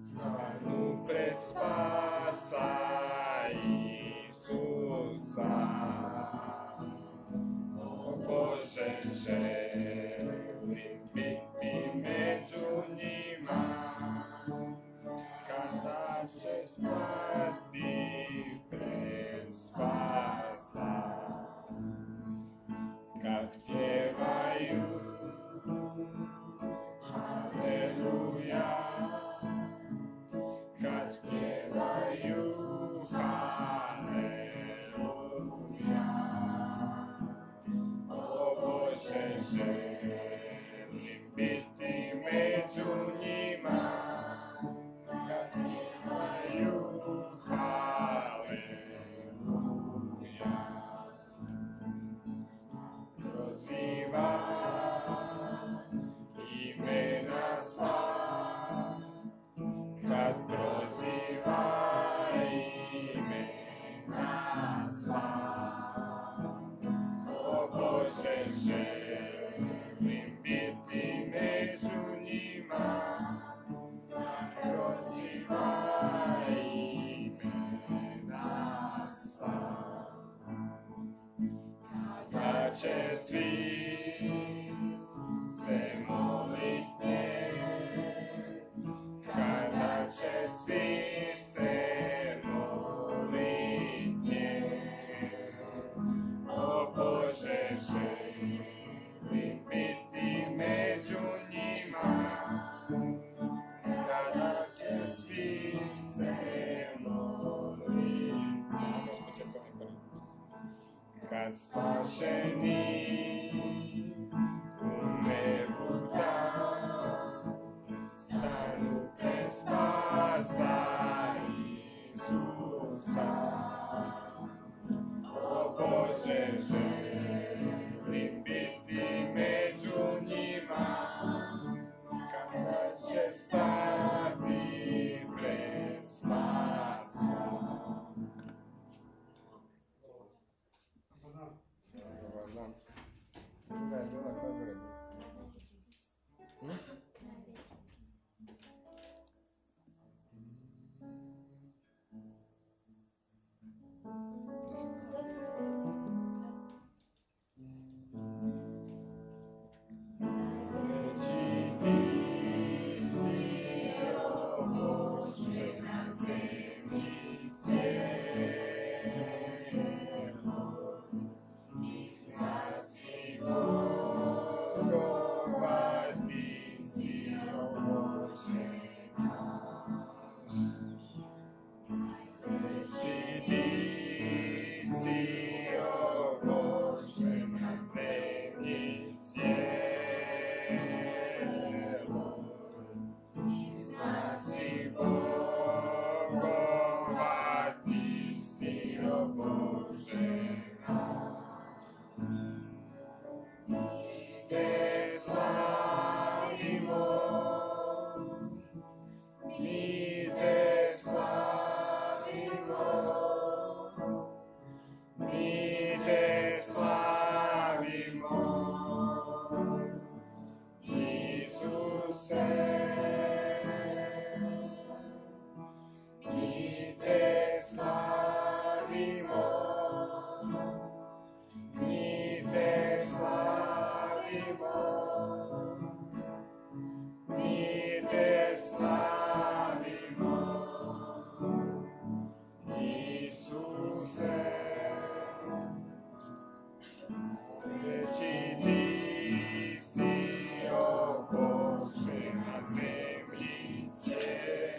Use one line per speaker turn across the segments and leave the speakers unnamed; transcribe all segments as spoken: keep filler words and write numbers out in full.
Stanu pred spasa Isusa. O Bože, želim biti među njima, kada će stati pred spasa. Kad pjevaju Haleluja, kad pjevaju Haleluja. O Bože, želim biti među njima, kad pjevaju Haleluja. Proziva imena sva, kad proziva imena sva. O Bože, želim biti među njima, kad proziva imena sva. Kada će svi se molit nje, kada će svi se molit nje. O Bože, želim biti među njima, kada će svi se molit nje. Kad spašeni u nebu tam stanu pred spasa Isusa. O Bože, želim biti među njima, kada će stati pred spasa. Dobar dan. Druga je bila, koja je druga bila? Hm? Najveći ti si, o Bože, na zemlji cijeloj. Iznasi Bogova ti si, o Bože naš. Najveći ti si, o Bože, na zemlji cijeloj. Iznasi Bogova ti si, o Bože naš. Mi te slavimo, mi te slavimo, mi te slavimo, Isuse. Mi te slavimo, mi te slavimo, mi te slavimo, Isuse. Veći ti si, o Bože, na zemlji cijeloj.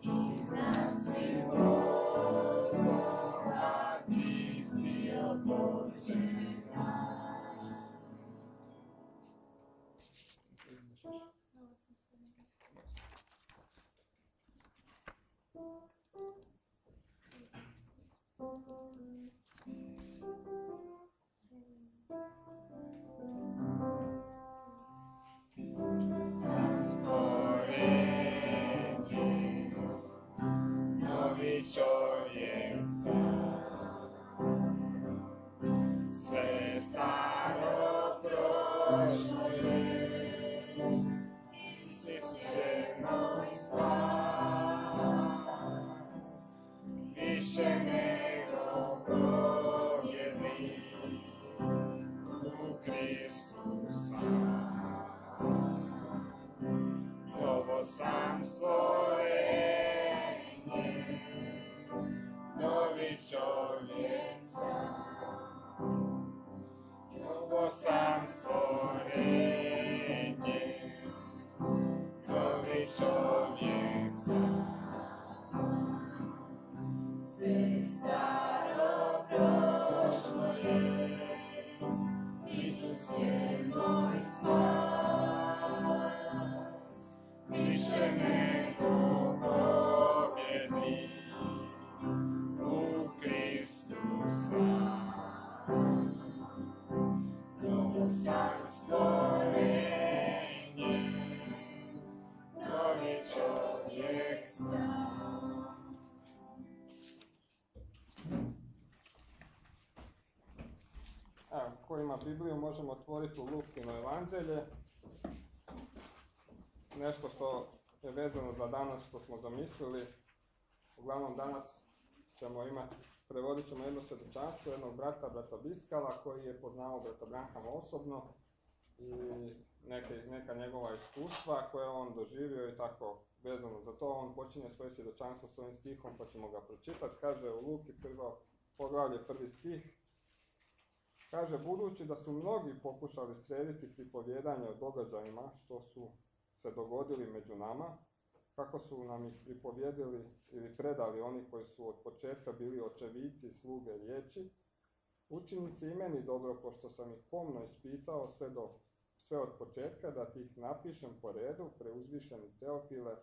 Iznad svih bogova ti si, o Bože naš. čovjek sam, novo sam stvorenje, novi čovjek sam, sve staro prošlo je, Isus je moj spas, više nego pobjednik, u Kristu sam, novo sam stvorenje, novi čovjek sam. Evo, ko ima Bibliju, možemo otvoriti u Lukino evanđelje. Nešto što je vezano za danas, što smo zamislili. Uglavnom danas ćemo imati, prevodit ćemo jedno svjedočanstvo jednog brata, brata Biskala, koji je poznao brata Branhama osobno i neke, neka njegova iskustva koje je on doživio i tako vezano za to. On počinje svoje svjedočanstvo s ovim stihom, pa ćemo ga pročitati. Kaže u Luki prvo poglavlje, prvi stih. Kaže, budući da su mnogi pokušali srediti pripovjedanje o događajima što su se dogodili među nama, kako su nam ih pripovjedili ili predali oni koji su od početka bili očevici i sluge riječi, učini se i meni dobro, pošto sam ih pomno ispitao sve, do, sve od početka, da ti ih napišem po redu, preuzvišeni Teofile,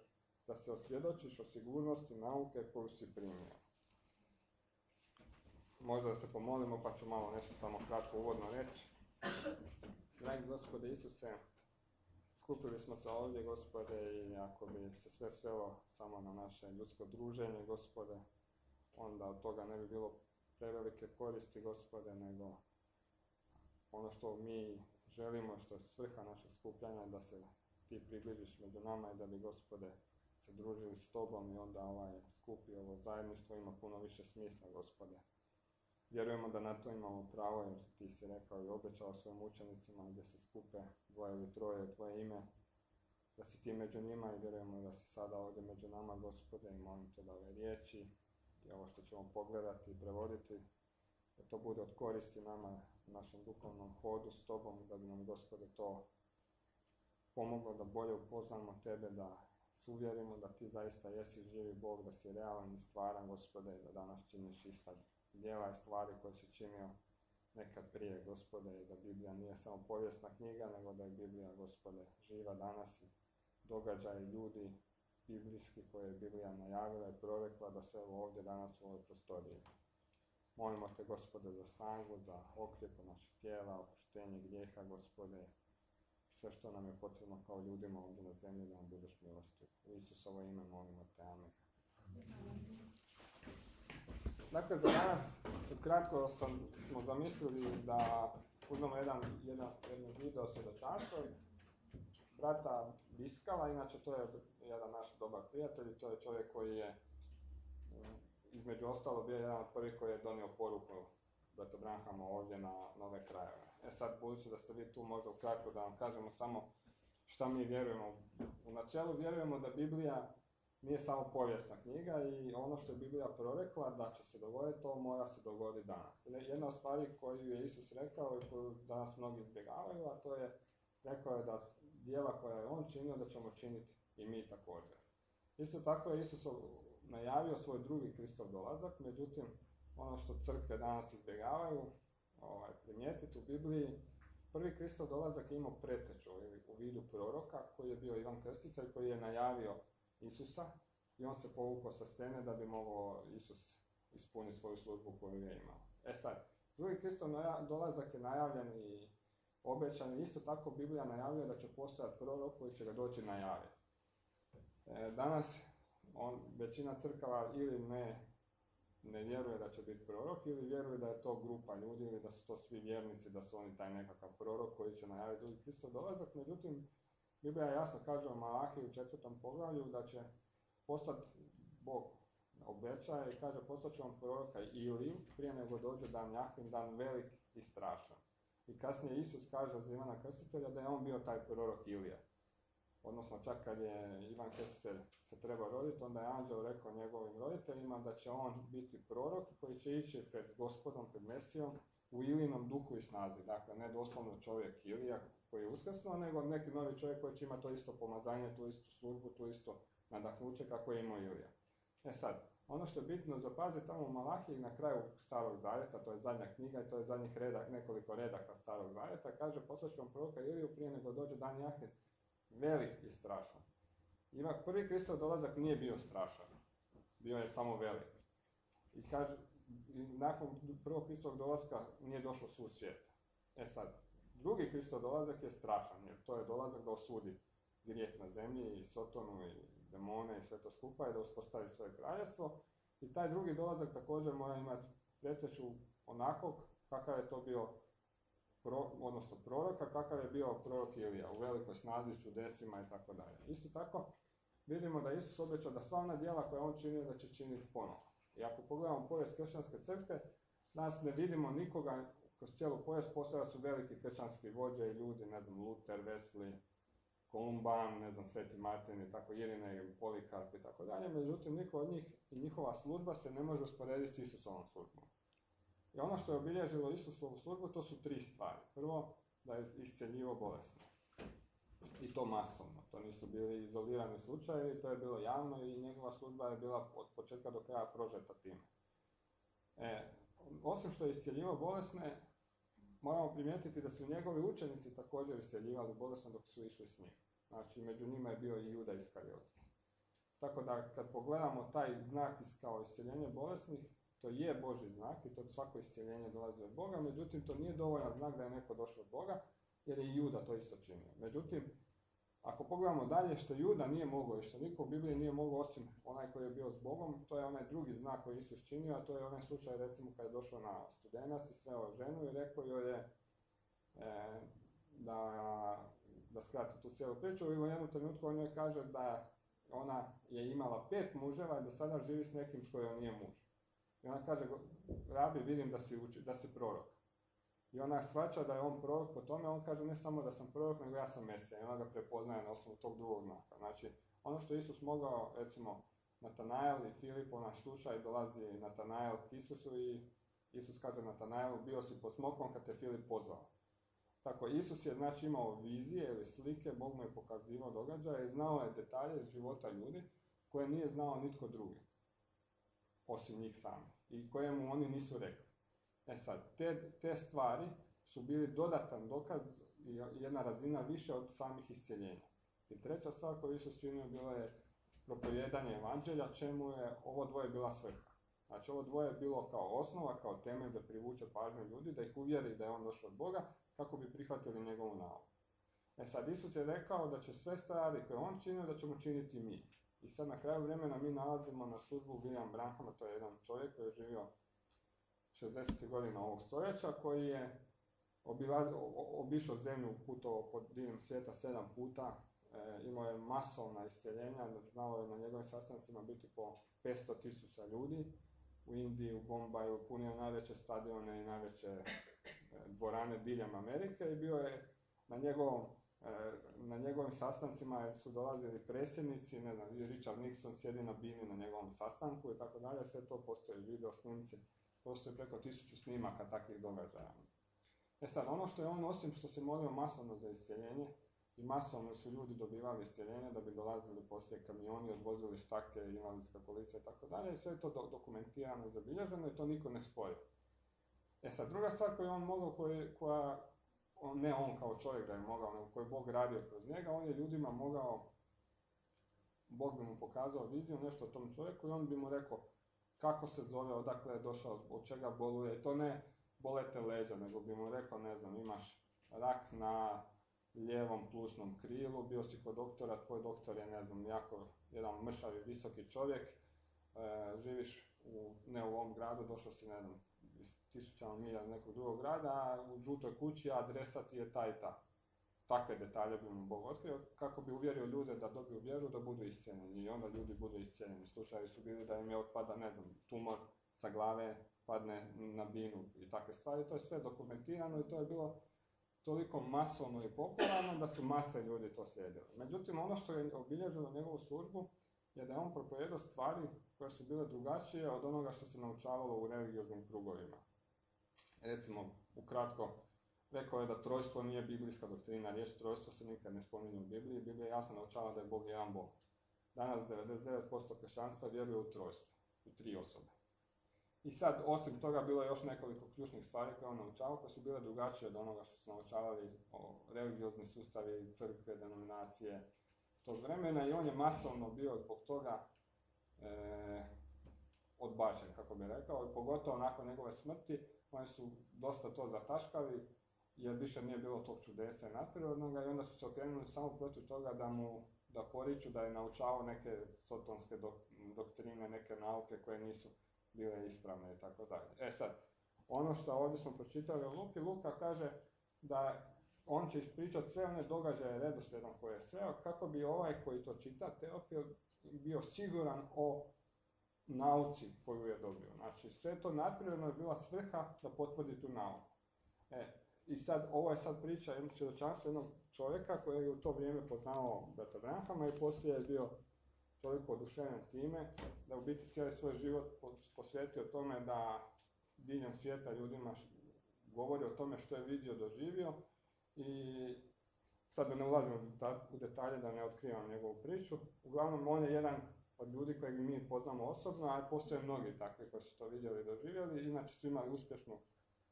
da se osvjedočiš o sigurnosti nauke koju si primio. Možda da se pomolimo, pa ću malo nešto samo kratko uvodno reći. Dragi Gospode Isuse, skupili smo se ovdje, Gospode, i ako bi se sve svelo samo na naše ljudsko druženje, Gospode, onda od toga ne bi bilo prevelike koristi, Gospode, nego ono što mi želimo, što je svrha našeg skupljanja, da se ti približiš među nama i da bi, Gospode, se družili s tobom i onda ovaj skup i ovo zajedništvo ima puno više smisla, Gospode. Vjerujemo da na to imamo pravo, jer ti si rekao i obećao svojim učenicima gdje se skupe dvoje ili troje u tvoje ime, da si ti među njima i vjerujemo da si sada ovdje među nama, Gospode, i molim te da ove riječi i ovo što ćemo pogledati i prevoditi, da to bude od koristi nama, našem duhovnom hodu s tobom, da bi nam, Gospode, to pomoglo da bolje upoznamo tebe, da se uvjerimo da ti zaista jesi živi Bog, da si realan i stvaran, Gospode, i da danas činiš ista djela i stvari koje si činio nekad prije, Gospode, i da Biblija nije samo povijesna knjiga, nego da je Biblija, Gospode, živa danas i događaji ljudi biblijski koje je Biblija najavila i prorekla da se evo ovdje danas u ovoj prostoriji. Molimo te, Gospode, za snagu, za okrjepu naših tijela, oproštenje grijeha, Gospode, sve što nam je potrebno kao ljudima ovdje na zemlji, da nam budeš milostiv. U Isusovo ime molimo te, amen. Dakle, za danas, ukratko sam, smo zamislili da uzmemo jedan, jedan, jedan video svjedočanstvo brata Biskala. Inače, to je jedan naš dobar prijatelj, to je čovjek koji je između ostalo bio jedan od prvih koji je donio poruku brata Branhama ovdje na nove krajeve. E sad, budući da ste vi tu, možda ukratko da vam kažemo samo šta mi vjerujemo. U načelu vjerujemo da Biblija nije samo povijesna knjiga i ono što je Biblija prorekla da će se dogoditi, to mora se dogoditi danas. Jedna od stvari koju je Isus rekao i koju danas mnogi izbjegavaju, a to je, rekao je da djela koja je on činio, da ćemo činiti i mi također. Isto tako je Isus najavio svoj drugi Kristov dolazak, međutim, ono što crkve danas izbjegavaju, ovaj, primijetiti u Bibliji, prvi Kristov dolazak je imao preteču u vidu proroka koji je bio Ivan Krstitelj, koji je najavio Isusa i on se povukao sa scene da bi mogao Isus ispuniti svoju službu koju je imao. E sad, drugi Kristov dolazak je najavljen i obećan, isto tako Biblija najavljuje da će postojati prorok koji će ga doći najaviti. E, danas on, većina crkava ili ne, ne vjeruje da će biti prorok ili vjeruje da je to grupa ljudi ili da su to svi vjernici, da su oni taj nekakav prorok koji će najaviti drugi Kristov dolazak. Međutim, Biblija jasno kaže u Malahiji u četvrtom poglavlju da će postati, Bog obećaje i kaže postat će vam proroka Iliju prije nego dođe dan Jahvin, dan velik i strašan. I kasnije Isus kaže za Ivana Krstitelja da je on bio taj prorok Ilija. odnosno čak kad je Ivan Krstitelj se trebao roditi, onda je anđeo rekao njegovim roditeljima da će on biti prorok koji će ići pred Gospodom, pred Mesijom, u Ilinom duhu i snazi. Dakle, ne doslovno čovjek Ilija koji je uskrsnuo, nego neki novi čovjek koji će imati to isto pomazanje, tu istu službu, tu isto nadahnuće kako je imao Ilija. E sad, ono što je bitno zapaziti tamo u Malahiji na kraju Starog zavjeta, to je zadnja knjiga i to je zadnjih redak, nekoliko redaka Starog zavjeta, kaže poslat ću vam proroka Iliju prije nego dođe dan Jahve, velik i strašan. Ipak prvi Kristov dolazak nije bio strašan, bio je samo velik. I kaže, i nakon prvog Kristovog dolaska nije došlo sud svijeta. E sad, drugi Kristov dolazak je strašan, jer to je dolazak da osudi grijeh na zemlji i Sotonu i demone i sve to skupa i da uspostavi svoje kraljevstvo. I taj drugi dolazak također mora imati preteču onakvog kakav je to bio Pro, odnosno proroka, kakav je bio prorok Ilija, u velikoj snazi, čudesima i tako dalje. Isto tako, vidimo da Isus obećao da sva ona djela koja on činio da će činiti ponovo. I ako pogledamo povijest kršćanske crkve, danas ne vidimo nikoga, kroz cijelu povijest postojali su veliki kršćanski vođe i ljudi, ne znam, Luther, Wesley, Kolumban, ne znam, Sveti Martin i tako, Irinej, Polikarp i tako dalje, međutim, niko od njih i njihova služba se ne može usporediti s Isusovom službom. I ono što je obilježilo Isusovu službu, to su tri stvari. Prvo, da je iscjeljivao bolesne. I to masovno. To nisu bili izolirani slučajevi, to je bilo javno i njegova služba je bila od početka do kraja prožeta time. E, osim što je iscjeljivao bolesne, moramo primijetiti da su njegovi učenici također iscjeljivali bolesne dok su išli s njim. Znači, među njima je bio i Juda Iskariotski. Tako da, kad pogledamo taj znak kao iscjeljenje bolesnih, to je Božji znak i to svako iscjeljenje dolazi od Boga, međutim to nije dovoljan znak da je neko došao od Boga, jer je i Juda to isto činio. Međutim, ako pogledamo dalje što Juda nije mogao i što niko u Bibliji nije mogao osim onaj koji je bio s Bogom, to je onaj drugi znak koji Isus činio, a to je onaj slučaj recimo kad je došao na Studenac i sreo ženu i rekao joj je e, da, da skrati tu cijelu priču i u jednom trenutku on joj kaže da ona je imala pet muževa i da sada živi s nekim koji joj nije muž. I ona kaže, rabi, vidim da si, uči, da si prorok. I ona shvaća da je on prorok po tome, on kaže ne samo da sam prorok, nego ja sam Mesija. I ona ga prepoznaje na osnovu tog drugog znaka. Znači, ono što Isus mogao, recimo, Natanael i Filip, naš slučaj, dolazi Natanael k Isusu i Isus kaže Natanaelu, bio si pod smokvom kad te Filip pozvao. Tako, Isus je znači imao vizije ili slike, Bog mu je pokazivao događaje i znao je detalje iz života ljudi koje nije znao nitko drugi, osim njih sami, i kojemu oni nisu rekli. E sad, te, te stvari su bili dodatan dokaz i jedna razina više od samih iscjeljenja. I treća stvar koju Isus činio bilo je propovijedanje evanđelja, čemu je ovo dvoje bila svrha. Znači, ovo dvoje je bilo kao osnova, kao temelj da privuče pažnju ljudi, da ih uvjeri da je on došao od Boga, kako bi prihvatili njegovu nauku. E sad, Isus je rekao da će sve stvari koje on činio, da ćemo činiti mi. I sad na kraju vremena mi nalazimo na službu William Branhama, to je jedan čovjek koji je živio šezdesetih godina ovog stoljeća, koji je obilaz, obišao zemlju, putovao po diljem svijeta sedam puta, e, imao je masovna iscjeljenja, znalo je na njegovim sastancima biti po petsto tisuća ljudi, u Indiji, u Bombaju, punio najveće stadione i najveće e, dvorane diljem Amerike i bio je na njegovom na njegovim sastancima su dolazili predsjednici, ne znam, Richard Nixon sjedi na bini na njegovom sastanku i tako dalje, sve to postoji, video snimci, postoji preko tisuću snimaka takvih događaja. E sad, ono što je on, osim što se molio masovno za iscjeljenje, i masovno su ljudi dobivali iscjeljenje da bi dolazili poslije kamioni, odvozili štake, invalidska kolica i tako dalje, i sve je to do- dokumentirano i zabilježeno i to niko ne spori. E sad, druga stvar koju on mogao, koji, koja On, ne on kao čovjek da je mogao, nego koji je Bog radio kroz njega, on je ljudima mogao, Bog bi mu pokazao viziju, nešto o tom čovjeku i on bi mu rekao kako se zove, odakle je došao, od čega boluje. I to ne bolete leđa, nego bi mu rekao, ne znam, imaš rak na lijevom plućnom krilu, bio si kod doktora, tvoj doktor je, ne znam, jako jedan mršavi, visoki čovjek, e, živiš u, ne u ovom gradu, došao si, ne znam, iz tisućama milja iz nekog drugog grada, a u žutoj kući adresa ti je ta i ta. Takve detalje bi mu Bog otkrio, kako bi uvjerio ljude da dobiju vjeru, da budu iscijeljeni. I onda ljudi budu iscijeljeni. Slučajevi su bili da im je otpada, ne znam, tumor sa glave, padne na binu i takve stvari. To je sve dokumentirano i to je bilo toliko masovno i popularno da su mase ljudi to slijedili. Međutim, ono što je obilježilo njegovu službu je da je on propovijedao stvari koje su bile drugačije od onoga što se naučavalo u religioznim krugovima. Recimo, ukratko, rekao je da trojstvo nije biblijska doktrina, riječ trojstvo se nikad ne spominje u Bibliji, Biblija jasno naučava da je Bog jedan Bog. Danas devedeset devet posto kršćanstva vjeruje u trojstvo, u tri osobe. I sad, osim toga, bilo je još nekoliko ključnih stvari koje on naučavao, koje su bile drugačije od onoga što su naučavali o religiozni sustavi, crkve, denominacije tog vremena i on je masovno bio zbog toga e, odbačen, kako bi rekao, i pogotovo nakon njegove smrti, oni su dosta to zataškali, jer više nije bilo tog čudesa i nadprirodnoga i onda su se okrenuli samo protiv toga da mu da poriču da je naučavao neke sotonske dok, doktrine, neke nauke koje nisu bile ispravne i tako dalje. E sad, ono što ovdje smo pročitali o Luki, Luka kaže da on će ispričati sve one događaje redoslijedom koje je sreo, kako bi ovaj koji to čita, Teofil, bio siguran o nauci koju je dobio. Znači, sve to nadprirodno je bila svrha da potvrdi tu nauku. E, I sad, ovo je sad priča jednog svjedočanstva jednog čovjeka koji je u to vrijeme poznavao brata Branhama i poslije je bio toliko oduševljen time da u biti cijeli svoj život posvetio tome da diljem svijeta ljudima govori o tome što je vidio, doživio i sad da ne ulazim u detalje, da ne otkrivam njegovu priču. Uglavnom, on je jedan od ljudi kojeg mi poznamo osobno, a postoje mnogi takvi koji su to vidjeli i doživjeli, inače su imali uspješnu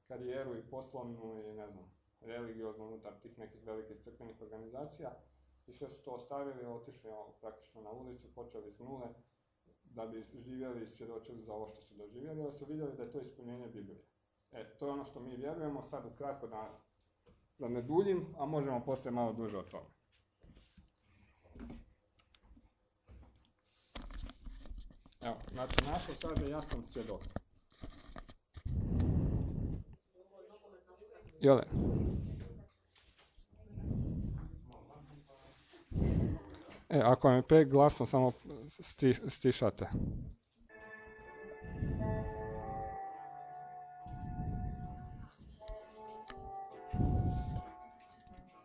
karijeru i poslovnu i ne znam, religioznu unutar tih nekih velikih crkvenih organizacija i sve su to ostavili, otišli praktično na ulicu, počeli s nule da bi živjeli i svjedočili za ovo što su doživjeli, ali su vidjeli da je to ispunjenje Biblije. E, to je ono što mi vjerujemo, sad ukratko da, da ne duljim, a možemo poslije malo duže o tome. Evo, znači naslov kaže ja sam svjedok. Jole. E, ako vam je preglasno, samo sti, stišate.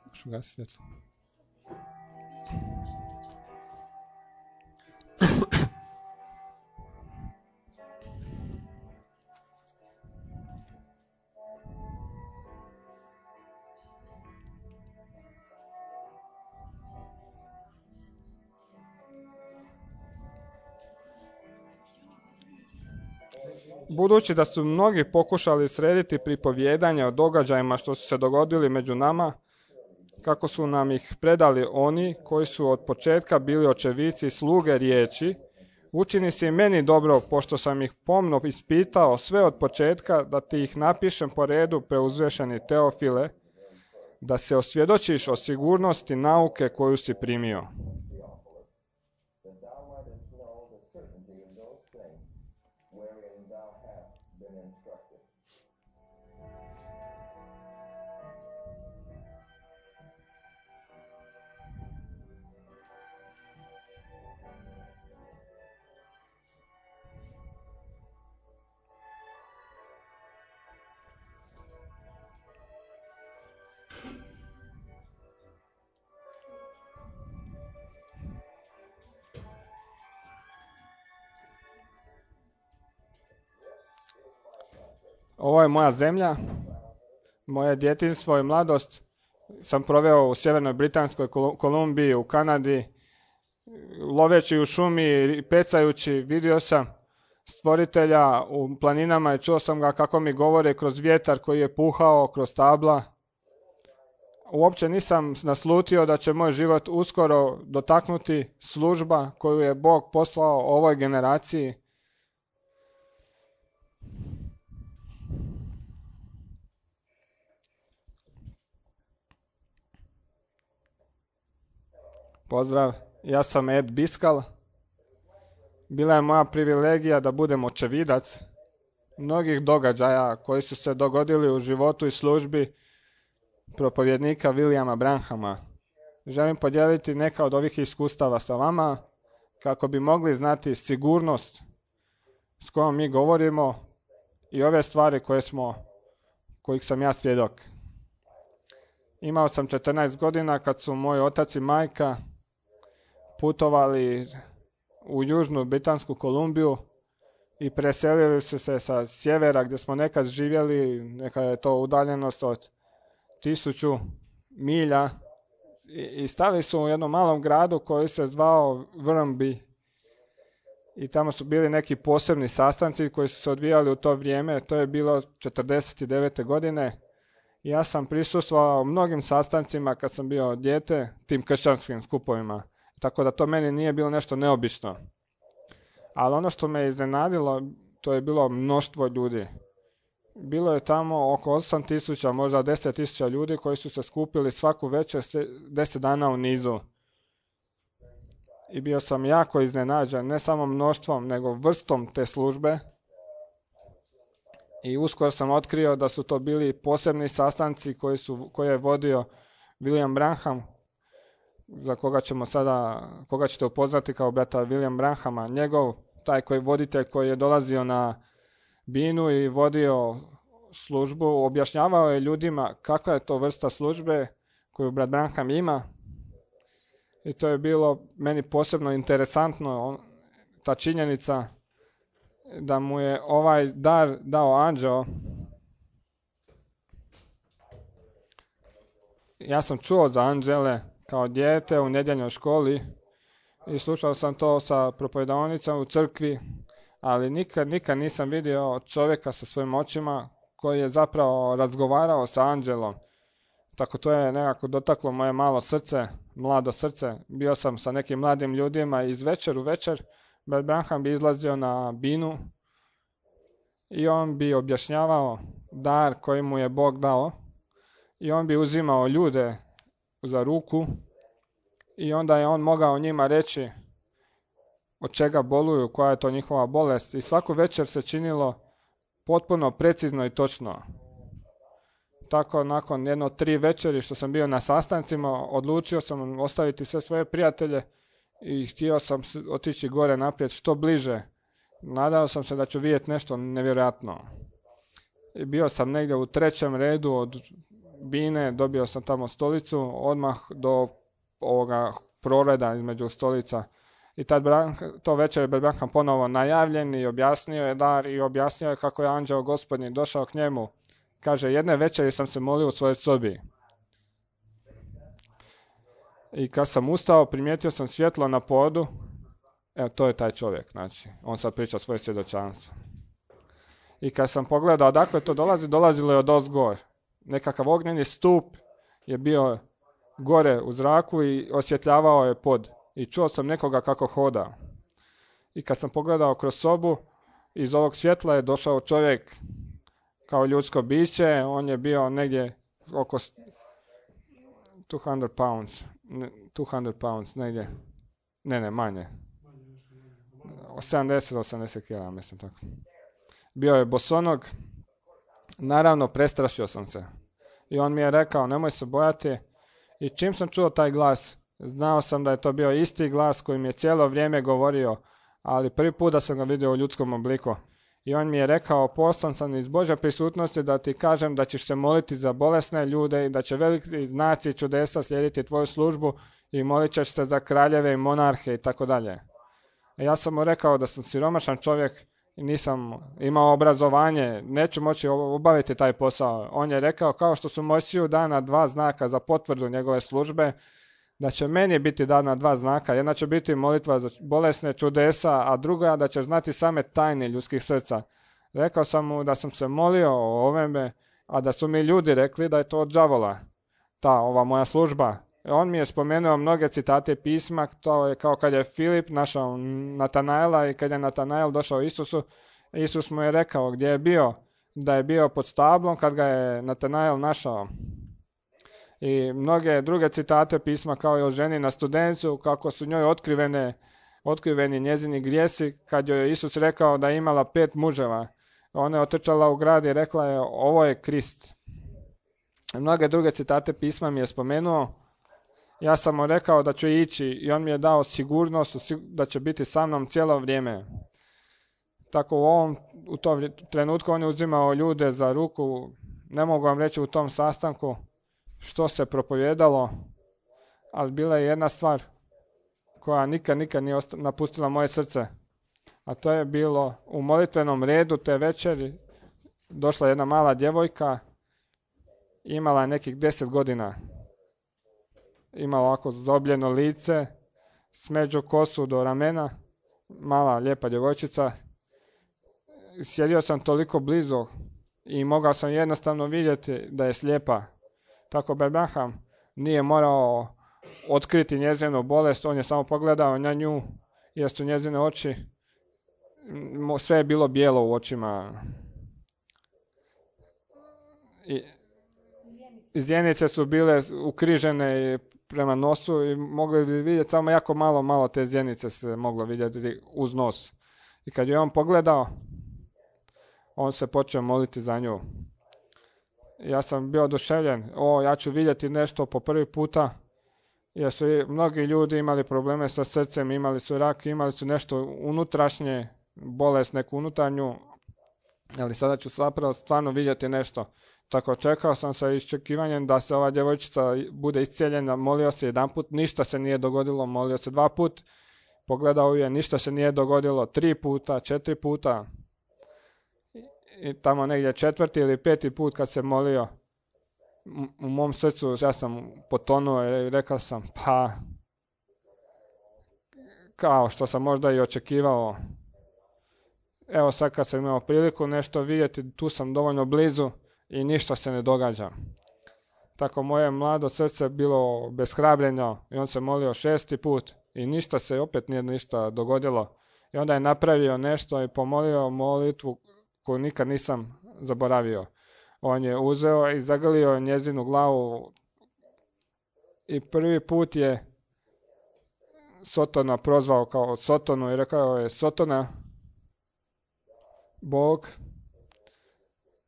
Možu gasi svjetlo. Budući da su mnogi pokušali srediti pripovjedanje o događajima što su se dogodili među nama, kako su nam ih predali oni koji su od početka bili očevici i sluge riječi, učini se i meni dobro, pošto sam ih pomno ispitao sve od početka, da ti ih napišem po redu, preuzvešeni Teofile, da se osvjedočiš o sigurnosti nauke koju si primio. Ovo je moja zemlja, moje djetinjstvo i mladost sam proveo u Sjevernoj Britanskoj Kolumbiji, u Kanadi, loveći u šumi i pecajući, vidio sam stvoritelja u planinama i čuo sam ga kako mi govori kroz vjetar koji je puhao, kroz stabla. Uopće nisam naslutio da će moj život uskoro dotaknuti služba koju je Bog poslao ovoj generaciji. Pozdrav, ja sam Ed Biskal. Bila je moja privilegija da budem očevidac mnogih događaja koji su se dogodili u životu i službi propovjednika Williama Branhama. Želim podijeliti neka od ovih iskustava sa vama kako bi mogli znati sigurnost s kojom mi govorimo i ove stvari koje smo, kojih sam ja svjedok. Imao sam četrnaest godina kad su moj otac i majka putovali u južnu Britansku Kolumbiju i preselili su se sa sjevera gdje smo nekad živjeli, neka je to udaljenost od tisuću milja, i, i stali su u jednom malom gradu koji se zvao Vrmby. I tamo su bili neki posebni sastanci koji su se odvijali u to vrijeme, to je bilo četrdeset devete godine. Ja sam prisustvovao mnogim sastancima kad sam bio dijete, tim kršćanskim skupovima. Tako da to meni nije bilo nešto neobično. Ali ono što me iznenadilo, to je bilo mnoštvo ljudi. Bilo je tamo oko osam tisuća, možda deset tisuća ljudi koji su se skupili svaku večer deset dana u nizu. I bio sam jako iznenađen, ne samo mnoštvom, nego vrstom te službe. I uskoro sam otkrio da su to bili posebni sastanci koji su, koje je vodio William Branham, za koga ćemo sada, koga ćete upoznati kao brata William Branhama. Njegov, taj koji voditelj koji je dolazio na binu i vodio službu, objašnjavao je ljudima kakva je to vrsta službe koju brat Branham ima. I to je bilo meni posebno interesantno, on, ta činjenica da mu je ovaj dar dao anđeo. Ja sam čuo za anđele kao dijete u nedjeljnoj školi i slušao sam to sa propovedionicom u crkvi, ali nikad, nikad nisam vidio čovjeka sa svojim očima koji je zapravo razgovarao sa anđelom. Tako to je nekako dotaklo moje malo srce, mlado srce. Bio sam sa nekim mladim ljudima iz večer u večer. Brat Branham bi izlazio na binu i on bi objašnjavao dar koji mu je Bog dao. I on bi uzimao ljude za ruku i onda je on mogao njima reći od čega boluju, koja je to njihova bolest. I svaku večer se činilo potpuno precizno i točno. Tako nakon jedno tri večeri što sam bio na sastancima, odlučio sam ostaviti sve svoje prijatelje i htio sam otići gore naprijed što bliže. Nadao sam se da ću vidjeti nešto nevjerojatno. I bio sam negdje u trećem redu od bine, dobio sam tamo stolicu, odmah do ovoga proreda između stolica. I tad to večer je Branham ponovo najavljen i objasnio je dar i objasnio je kako je anđeo Gospodnji došao k njemu. Kaže, jedne večeri sam se molio u svojoj sobi. I kad sam ustao, primijetio sam svjetlo na podu. Evo, to je taj čovjek, znači, on sad priča svoje svjedočanstvo. I kad sam pogledao odakle to dolazi, dolazilo je od ozgor. Nekakav ognjeni stup je bio gore u zraku i osvjetljavao je pod. I čuo sam nekoga kako hoda. I kad sam pogledao kroz sobu, iz ovog svjetla je došao čovjek kao ljudsko biće, on je bio negdje oko dvjesto pounds, dvjesto pounds, negdje, ne, ne, manje, sedamdeset do osamdeset kilograma, mislim tako. Bio je bosonog, naravno prestrašio sam se. I on mi je rekao, nemoj se bojati, i čim sam čuo taj glas, znao sam da je to bio isti glas koji mi je cijelo vrijeme govorio, ali prvi put da sam ga vidio u ljudskom obliku. I on mi je rekao, poslan sam iz Božje prisutnosti da ti kažem da ćeš se moliti za bolesne ljude i da će veliki znaci i čudesa slijediti tvoju službu i molit ćeš se za kraljeve i monarhe i tako dalje. Ja sam mu rekao da sam siromašan čovjek i nisam imao obrazovanje, neću moći obaviti taj posao. On je rekao, kao što su Mojsiju dana dva znaka za potvrdu njegove službe, da će meni biti dana dva znaka. Jedna će biti molitva za bolesne čudesa, a druga da će znati same tajne ljudskih srca. Rekao sam mu da sam se molio o ovome, a da su mi ljudi rekli da je to od đavola, ta ova moja služba. On mi je spomenuo mnoge citate pisma, to je kao kad je Filip našao Natanaela i kad je Natanael došao Isusu, Isus mu je rekao gdje je bio, da je bio pod stablom kad ga je Natanael našao. I mnoge druge citate pisma kao i o ženi na Studencu, kako su njoj otkrivene, otkriveni njezini grijesi, kad joj je Isus rekao da je imala pet muževa. Ona je otrčala u grad i rekla je, ovo je Krist. Mnoge druge citate pisma mi je spomenuo. Ja sam mu rekao da ću ići i on mi je dao sigurnost da će biti sa mnom cijelo vrijeme. Tako u ovom u tom trenutku on je uzimao ljude za ruku, ne mogu vam reći u tom sastanku, što se propovijedalo, ali bila je jedna stvar koja nikad, nikad nije osta- napustila moje srce. A to je bilo u molitvenom redu te večeri došla jedna mala djevojka, imala je nekih deset godina. Imala ovako zaobljeno lice, smeđu kosu do ramena, mala lijepa djevojčica. Sjedio sam toliko blizu i mogao sam jednostavno vidjeti da je slijepa. Tako Brad Branham nije morao otkriti njezinu bolest, on je samo pogledao na nju jer su njezine oči, sve je bilo bijelo u očima. I zjenice su bile ukrižene prema nosu i mogli bi vidjeti samo jako malo, malo te zjenice se moglo vidjeti uz nos. I kad je on pogledao, on se počeo moliti za nju. Ja sam bio oduševljen. O, ja ću vidjeti nešto po prvi puta, jer su i mnogi ljudi imali probleme sa srcem, imali su rak, imali su nešto unutrašnje, bolest neku unutarnju, ali sada ću zapravo stvarno vidjeti nešto. Tako čekao sam sa iščekivanjem da se ova djevojčica bude iscijeljena, molio se jedanput, ništa se nije dogodilo, molio se dva put, pogledao je, ništa se nije dogodilo, tri puta, četiri puta. I tamo negdje četvrti ili peti put kad se molio, u mom srcu ja sam potonuo i rekao sam, pa, kao što sam možda i očekivao. Evo sad kad sam imao priliku nešto vidjeti, tu sam dovoljno blizu i ništa se ne događa. Tako moje mlado srce bilo beshrabljeno i on se molio šesti put i ništa se opet nije ništa dogodilo. I onda je napravio nešto i pomolio molitvu koju nikad nisam zaboravio. On je uzeo i zagrlio njezinu glavu i prvi put je Sotona prozvao kao Sotonu i rekao je, Sotona, Bog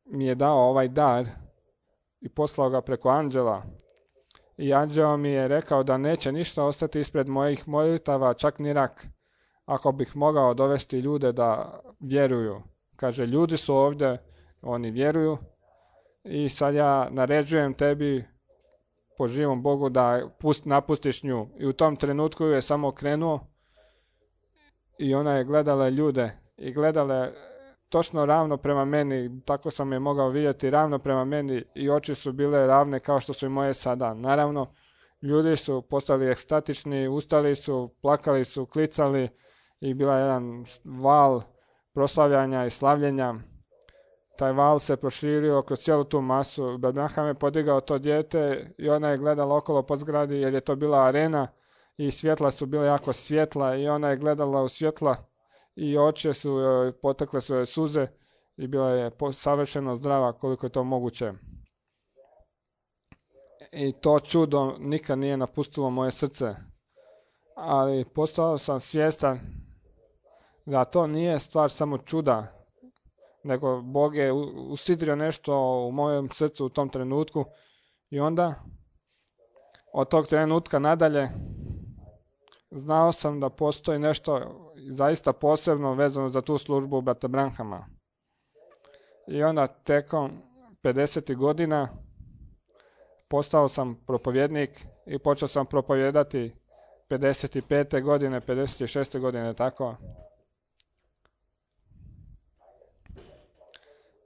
mi je dao ovaj dar i poslao ga preko anđela. I anđeo mi je rekao da neće ništa ostati ispred mojih molitava, čak ni rak, ako bih mogao dovesti ljude da vjeruju. Kaže, ljudi su ovdje, oni vjeruju i sad ja naređujem tebi po živom Bogu da pust, napustiš nju. I u tom trenutku je samo krenuo i ona je gledala ljude i gledala točno ravno prema meni, tako sam je mogao vidjeti ravno prema meni i oči su bile ravne kao što su i moje sada. Naravno, ljudi su postali ekstatični, ustali su, plakali su, klicali i bila je jedan val proslavljanja i slavljenja. Taj val se proširio kroz cijelu tu masu. Brad Branham je podigao to dijete i ona je gledala okolo po zgradi jer je to bila arena i svjetla su bila jako svjetla i ona je gledala u svjetla i oči su, potekle su joj suze i bila je savršeno zdrava koliko je to moguće. I to čudo nikad nije napustilo moje srce. Ali postao sam svjestan da to nije stvar samo čuda, nego Bog je usidrio nešto u mojem srcu u tom trenutku i onda od tog trenutka nadalje znao sam da postoji nešto zaista posebno vezano za tu službu brata Branhama. I onda tekom pedesetih godina postao sam propovjednik i počeo sam propovijedati pedeset pete godine, pedeset šeste godine, tako.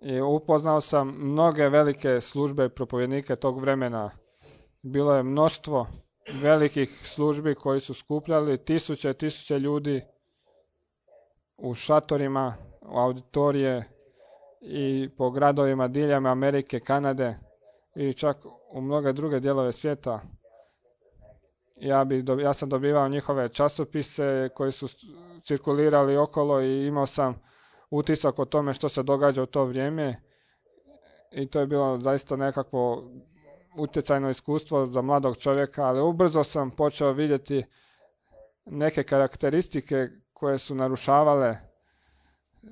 I upoznao sam mnoge velike službe propovjednike tog vremena. Bilo je mnoštvo velikih službi koji su skupljali tisuće, tisuće ljudi u šatorima, u auditorije i po gradovima diljem Amerike, Kanade i čak u mnoge druge dijelove svijeta. Ja, bi, ja sam dobivao njihove časopise koji su cirkulirali okolo i imao sam utisak o tome što se događa u to vrijeme i to je bilo zaista nekakvo utjecajno iskustvo za mladog čovjeka, ali ubrzo sam počeo vidjeti neke karakteristike koje su narušavale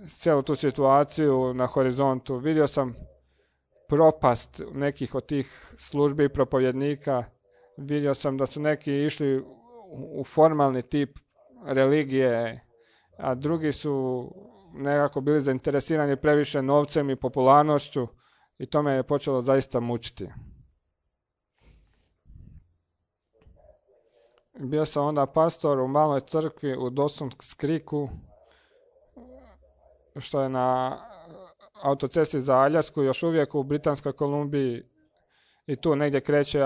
cijelu tu situaciju na horizontu. Vidio sam propast nekih od tih službi i propovjednika, vidio sam da su neki išli u formalni tip religije, a drugi su nekako bili zainteresirani previše novcem i popularnošću i to me je počelo zaista mučiti. Bio sam onda pastor u maloj crkvi u Dawson's Creeku, što je na autocesti za Aljasku, još uvijek u Britanskoj Kolumbiji, i tu negdje kreće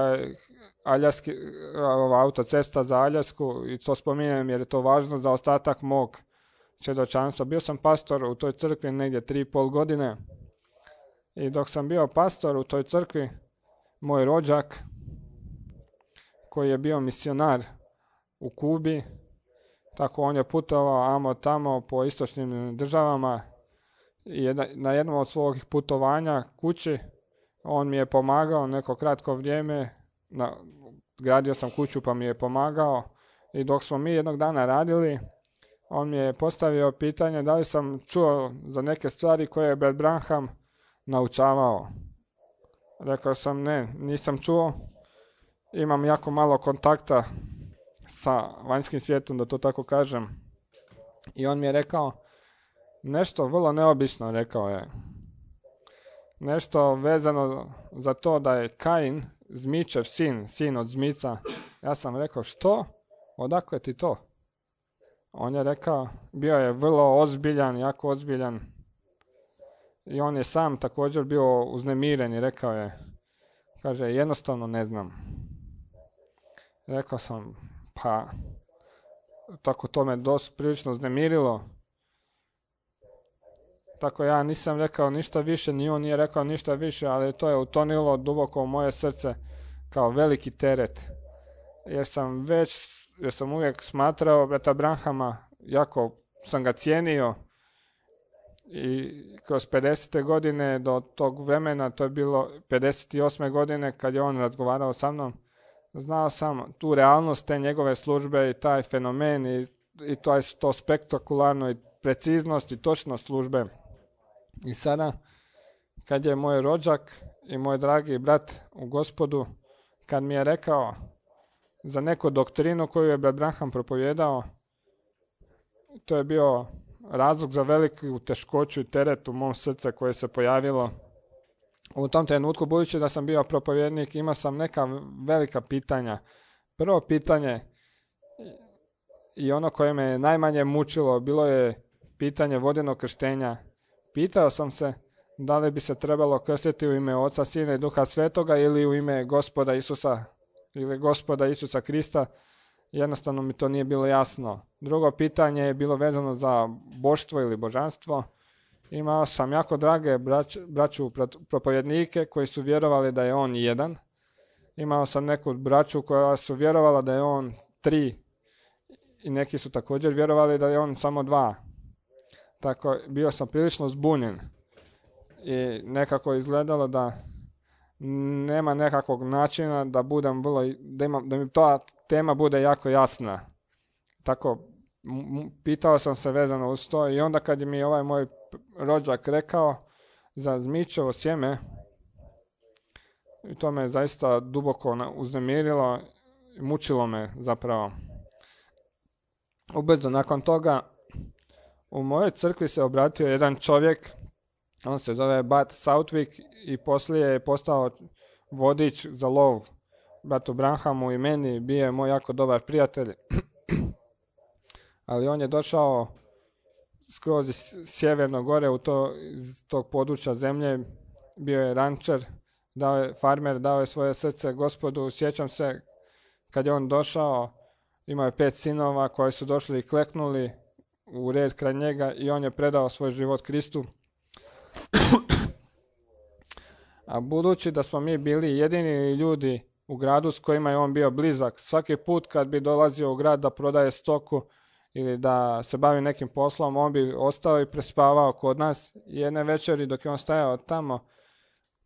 Aljaski, ova autocesta za Aljasku, i to spominjem jer je to važno za ostatak mog svjedočanstva. Bio sam pastor u toj crkvi negdje tri i pol godine, i dok sam bio pastor u toj crkvi, moj rođak, koji je bio misionar u Kubi, tako on je putovao amo tamo po istočnim državama, i na jednom od svojih putovanja kući on mi je pomagao neko kratko vrijeme, na, gradio sam kuću pa mi je pomagao, i dok smo mi jednog dana radili, on mi je postavio pitanje da li sam čuo za neke stvari koje je Brad Branham naučavao. Rekao sam ne, nisam čuo, imam jako malo kontakta sa vanjskim svijetom, da to tako kažem. I on mi je rekao nešto vrlo neobično, rekao je. Nešto vezano za to da je Kain, Zmičev sin, sin od zmica. Ja sam rekao, što? Odakle ti to? On je rekao, bio je vrlo ozbiljan, jako ozbiljan. I on je sam također bio uznemiren i rekao je, kaže, jednostavno ne znam. Rekao sam, pa, tako to me dosta prilično uznemirilo. Tako ja nisam rekao ništa više, ni on nije rekao ništa više, ali to je utonilo duboko u moje srce kao veliki teret. Jer sam već, jer sam uvijek smatrao brata Branhama, jako sam ga cijenio, i kroz pedesete godine do tog vremena, to je bilo pedeset osme godine kad je on razgovarao sa mnom, znao sam tu realnost te njegove službe i taj fenomen i, i to je to spektakularno i preciznost i točnost službe. I sada, kad je moj rođak i moj dragi brat u Gospodu, kad mi je rekao za neku doktrinu koju je brat Branham propovijedao, to je bio razlog za veliku teškoću i teret u mom srcu koje se pojavilo. U tom trenutku, budući da sam bio propovjednik, imao sam neka velika pitanja. Prvo pitanje, i ono koje me najmanje mučilo, bilo je pitanje vodenog krštenja. Pitao sam se da li bi se trebalo krstiti u ime Oca, Sina i Duha Svetoga ili u ime Gospoda Isusa ili Gospoda Isusa Krista. Jednostavno mi to nije bilo jasno. Drugo pitanje je bilo vezano za boštvo ili božanstvo. Imao sam jako drage brać, braću propovjednike koji su vjerovali da je on jedan. Imao sam neku braću koja su vjerovala da je on tri. I neki su također vjerovali da je on samo dva. Tako bio sam prilično zbunjen. I nekako izgledalo da nema nekakvog načina da budem vrlo, da, imam, da mi ta tema bude jako jasna. Tako m- pitao sam se vezano uz to i onda kad je mi ovaj moj rođak rekao za zmičevo sjeme, i to me zaista duboko uznemirilo i mučilo me zapravo. Ubrzo nakon toga u mojoj crkvi se obratio jedan čovjek, on se zove Bud Southwick i poslije je postao vodič za lov bratu Branhamu i meni, bio je moj jako dobar prijatelj. Ali on je došao skroz iz sjeverno gore u to, iz tog područja zemlje, bio je rančer, dao je, farmer, dao je svoje srce Gospodu. Sjećam se kad je on došao, imao je pet sinova koji su došli i kleknuli u red kraj njega i on je predao svoj život Kristu. A budući da smo mi bili jedini ljudi u gradu s kojima je on bio blizak, svaki put kad bi dolazio u grad da prodaje stoku ili da se bavi nekim poslom, on bi ostao i prespavao kod nas. Jedne večeri dok je on stajao tamo,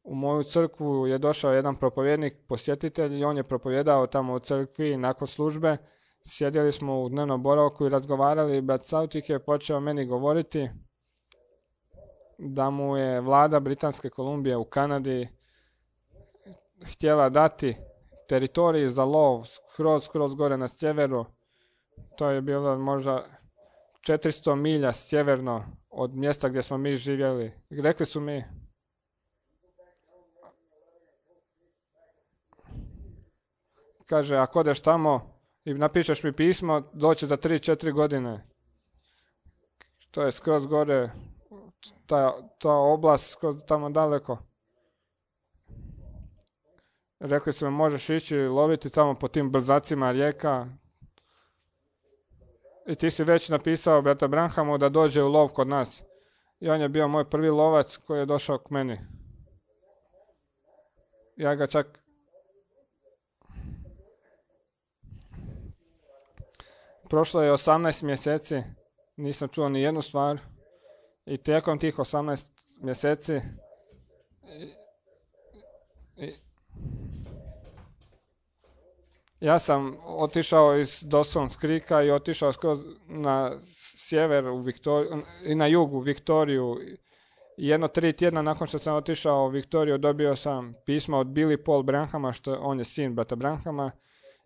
u moju crkvu je došao jedan propovjednik, posjetitelj, i on je propovjedao tamo u crkvi nakon službe. Sjedili smo u dnevnom boravku i razgovarali i brat Southwick je počeo meni govoriti da mu je vlada Britanske Kolumbije u Kanadi htjela dati teritorij za lov skroz, skroz gore na sjeveru. To je bilo možda četiristo milja sjeverno od mjesta gdje smo mi živjeli. Rekli su mi, kaže, ako odeš tamo, i napišeš mi pismo, doće za tri četiri godine. To je skroz gore, ta, ta oblast skroz tamo daleko. Rekli su mi možeš ići loviti tamo po tim brzacima rijeka. I ti si već napisao brata Branhamu da dođe u lov kod nas. I on je bio moj prvi lovac koji je došao k meni. Ja ga čak... Prošlo je osamnaest mjeseci, nisam čuo ni jednu stvar. I tijekom tih osamnaest mjeseci... I, i, ja sam otišao iz Dawson's Creeka i otišao skroz na sjever u Viktoriju, i na jugu u Viktoriju. I jedno tri tjedna nakon što sam otišao u Viktoriju dobio sam pismo od Billy Paul Branhama, što on je sin brata Branhama,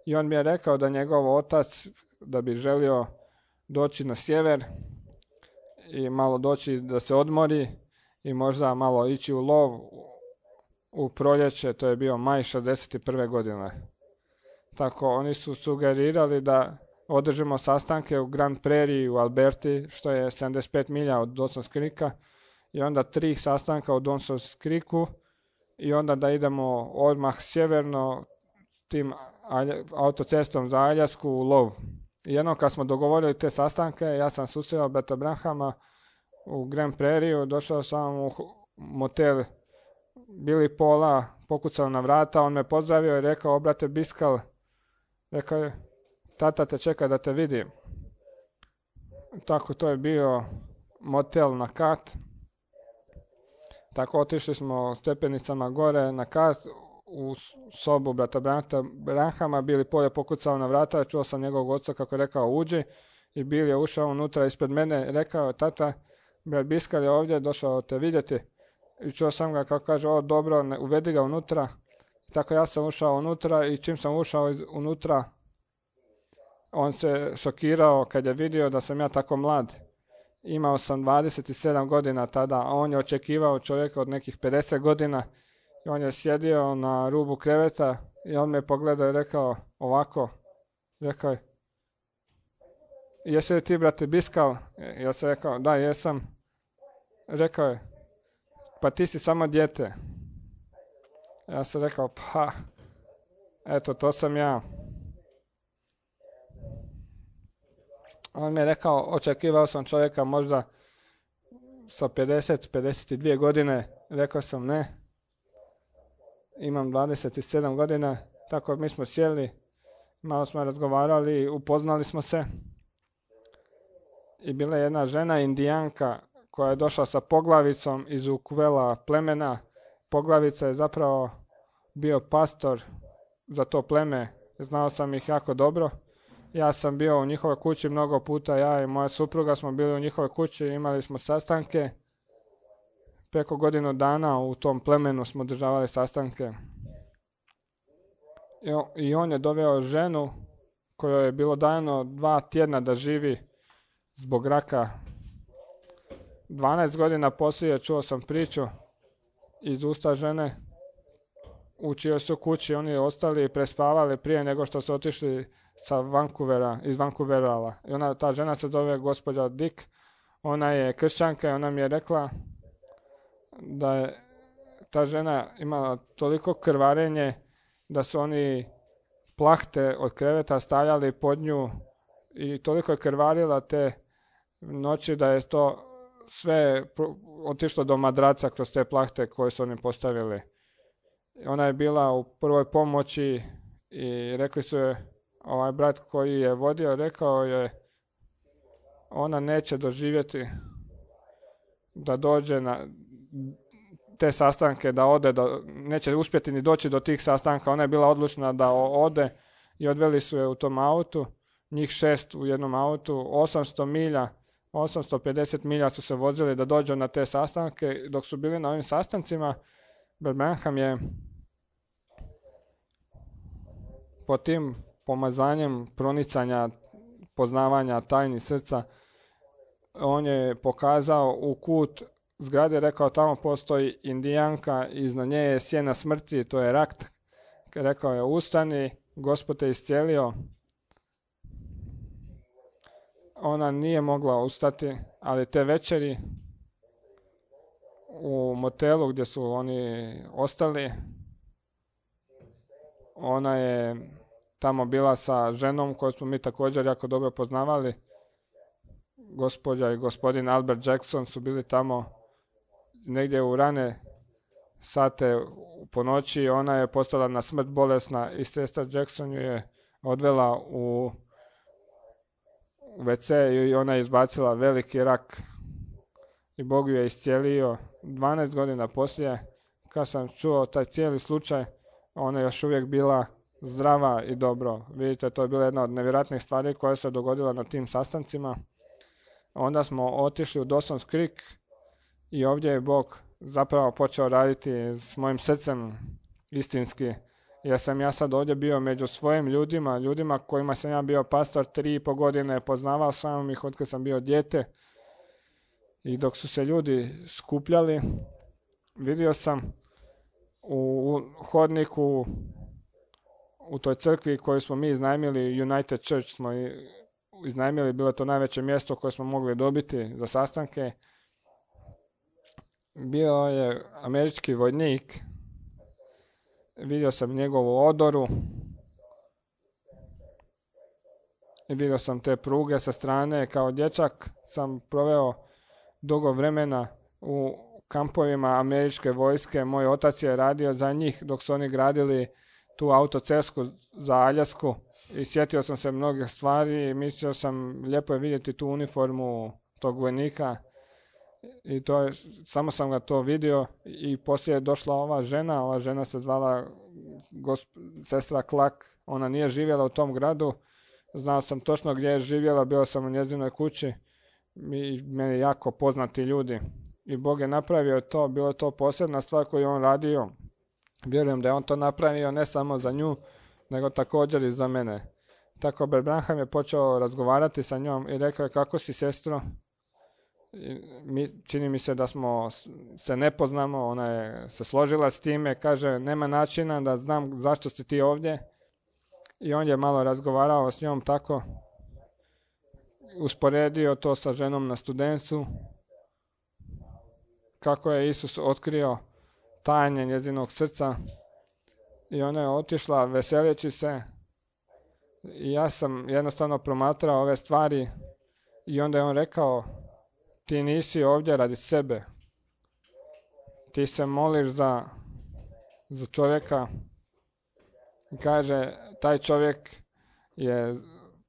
i on mi je rekao da njegov otac da bi želio doći na sjever i malo doći da se odmori i možda malo ići u lov u proljeće, to je bio maj šezdeset prve godine. Tako oni su sugerirali da održimo sastanke u Grand Prairie u Alberti, što je sedamdeset pet milja od Dawson's Creeka, i onda tri sastanka u Dawson's Creeku i onda da idemo odmah sjeverno tim autocestom za Aljasku u lov. I jednom kad smo dogovorili te sastanke, ja sam susreo brata Branhama u Grand Prairie, došao sam u motel Billy Paula, pokucao na vrata, on me pozdravio i rekao, o brate Biskal, rekao je, tata te čeka da te vidim. Tako to je bio motel na kat. Tako otišli smo stepenicama gore na kat u sobu brata Branhama. Billy Paul je pokucao na vrata, čuo sam njegovog oca kako je rekao uđi i Billy je ušao unutra ispred mene, rekao tata, brat Biskal je ovdje, došao te vidjeti. I čuo sam ga kako kaže, o dobro, ne, uvedi ga unutra. Tako ja sam ušao unutra i čim sam ušao iz, unutra, on se šokirao kad je vidio da sam ja tako mlad. Imao sam dvadeset sedam godina tada, a on je očekivao čovjeka od nekih pedeset godina. I on je sjedio na rubu kreveta i on me pogledao i rekao ovako, rekao je, jesi li ti brate Biskal? Ja sam rekao, da jesam. Rekao je, pa ti si samo dijete. Ja sam rekao, pa, eto, to sam ja. On mi je rekao, očekivao sam čovjeka možda sa pedeset, pedeset dvije godine. Rekao sam ne, imam dvadeset sedam godina, tako mi smo sjeli, malo smo razgovarali, upoznali smo se. I bila je jedna žena indijanka koja je došla sa poglavicom iz Ukvela plemena. Poglavica je zapravo bio pastor za to pleme, znao sam ih jako dobro. Ja sam bio u njihovoj kući mnogo puta, ja i moja supruga smo bili u njihovoj kući, imali smo sastanke. Preko godinu dana u tom plemenu smo održavali sastanke. I on je doveo ženu kojoj je bilo dano dva tjedna da živi zbog raka. dvanaest godina poslije čuo sam priču iz usta žene u čijoj su kući oni ostali prespavali prije nego što su otišli sa Vancouvera, iz Vancouvera. I ona, ta žena se zove gospođa Dick, ona je kršćanka i ona mi je rekla da je ta žena imala toliko krvarenje da su oni plahte od kreveta stavljali pod nju i toliko je krvarila te noći da je to sve otišlo do madraca kroz te plahte koje su oni postavili. Ona je bila u prvoj pomoći i rekli su je, ovaj brat koji je vodio, rekao je, ona neće doživjeti da dođe na te sastanke, da ode, do, neće uspjeti ni doći do tih sastanka. Ona je bila odlučna da ode i odveli su je u tom autu, njih šest u jednom autu, osamsto milja, osamsto pedeset milja su se vozili da dođu na te sastanke. Dok su bili na ovim sastancima, Branham je po tim pomazanjem pronicanja, poznavanja tajni srca, on je pokazao u kut zgrade, rekao tamo postoji indijanka, iznad nje je sjena smrti, to je rak. Rekao je ustani, Gospod te iscijelio. ona nije mogla ustati, ali te večeri u motelu gdje su oni ostali, ona je tamo bila sa ženom koju smo mi također jako dobro poznavali. Gospođa i gospodin Albert Jackson su bili tamo negdje u rane sate po noći. Ona je postala na smrt bolesna i sestra Jackson ju je odvela u ve ce i ona je izbacila veliki rak i Bog ju je iscijelio. dvanaest godina poslije, kad sam čuo taj cijeli slučaj, ona je još uvijek bila zdrava i dobro. Vidite, to je bila jedna od nevjerojatnih stvari koja se dogodila na tim sastancima. Onda smo otišli u Dawson's Creek i ovdje je Bog zapravo počeo raditi s mojim srcem istinski. Jer sam ja sad ovdje bio među svojim ljudima, ljudima kojima sam ja bio pastor tri i po godine, poznavao sam ih od kad sam bio dijete. I dok su se ljudi skupljali, vidio sam u hodniku u toj crkvi koju smo mi iznajmili, United Church smo iznajmili, bilo je to najveće mjesto koje smo mogli dobiti za sastanke. Bio je američki vojnik, vidio sam njegovu odoru i vidio sam te pruge sa strane. Kao dječak sam proveo dugo vremena u kampovima američke vojske. Moj otac je radio za njih dok su oni gradili tu autocestu za Aljasku i sjetio sam se mnogih stvari i mislio sam lijepo je vidjeti tu uniformu tog vojnika i to je, samo sam ga to vidio i poslije je došla ova žena, ova žena se zvala gosp, sestra Klak, ona nije živjela u tom gradu, znao sam točno gdje je živjela, bio sam u njezinoj kući i meni jako poznati ljudi i Bog je napravio to, bilo je to posebna stvar koju on radio. Vjerujem da je on to napravio ne samo za nju, nego također i za mene. Tako Brother Branham je počeo razgovarati sa njom i rekao je: kako si, sestro? I mi, čini mi se da smo se ne poznamo, ona je se složila s time, kaže: nema načina da znam zašto si ti ovdje. I on je malo razgovarao s njom tako, usporedio to sa ženom na Studencu, kako je Isus otkrio tajne njezinog srca i ona je otišla veseleći se i ja sam jednostavno promatrao ove stvari i onda je on rekao: ti nisi ovdje radi sebe, ti se moliš za, za čovjeka. Kaže, taj čovjek je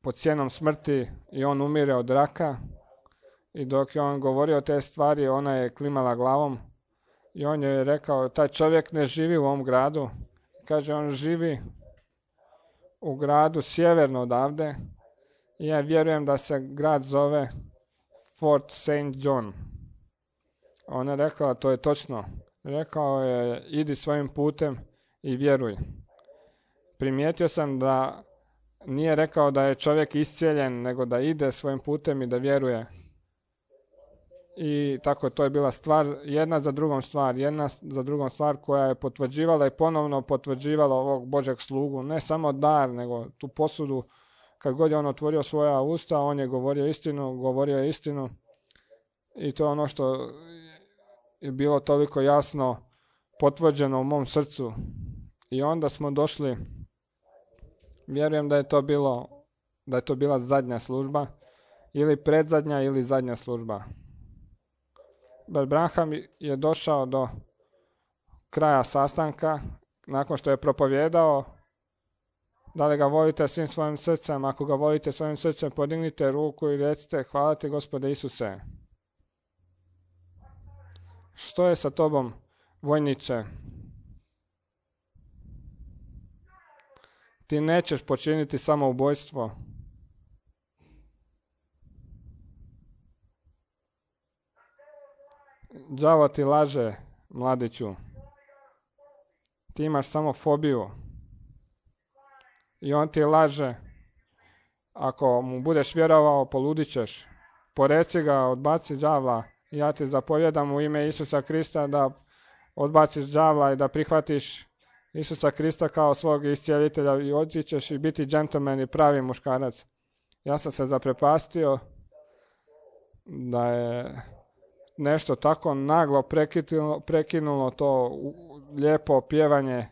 pod cijenom smrti i on umire od raka i dok je on govorio te stvari ona je klimala glavom. I on je rekao, taj čovjek ne živi u ovom gradu. Kaže, on živi u gradu sjeverno odavde. I ja vjerujem da se grad zove Fort Saint John. Ona je rekla, to je točno. Rekao je, idi svojim putem i vjeruj. Primijetio sam da nije rekao da je čovjek iscijeljen, nego da ide svojim putem i da vjeruje. I tako to je bila stvar, jedna za drugom stvar, jedna za drugom stvar koja je potvrđivala i ponovno potvrđivala ovog Božeg slugu. Ne samo dar, nego tu posudu. Kad god je on otvorio svoja usta, on je govorio istinu, govorio je istinu. I to je ono što je bilo toliko jasno potvrđeno u mom srcu. I onda smo došli, vjerujem da je to bilo, da je to bila zadnja služba, ili predzadnja ili zadnja služba. Brother Branham je došao do kraja sastanka, nakon što je propovjedao, da li ga volite svim svojim srcem, ako ga volite svojim srcem, podignite ruku i recite, hvala ti Gospode Isuse. Što je sa tobom, vojniče? Ti nećeš počiniti samoubojstvo. Đavo ti laže, mladiću. Ti imaš samo fobiju. I on ti laže. Ako mu budeš vjerovao, poludit ćeš. Poreci ga, odbaci đavla. Ja ti zapovjedam u ime Isusa Krista da odbaciš đavla i da prihvatiš Isusa Krista kao svog iscijelitelja i otići ćeš i biti džentlmen i pravi muškarac. Ja sam se zaprepastio da je nešto tako naglo prekinulo, prekinulo to lijepo pjevanje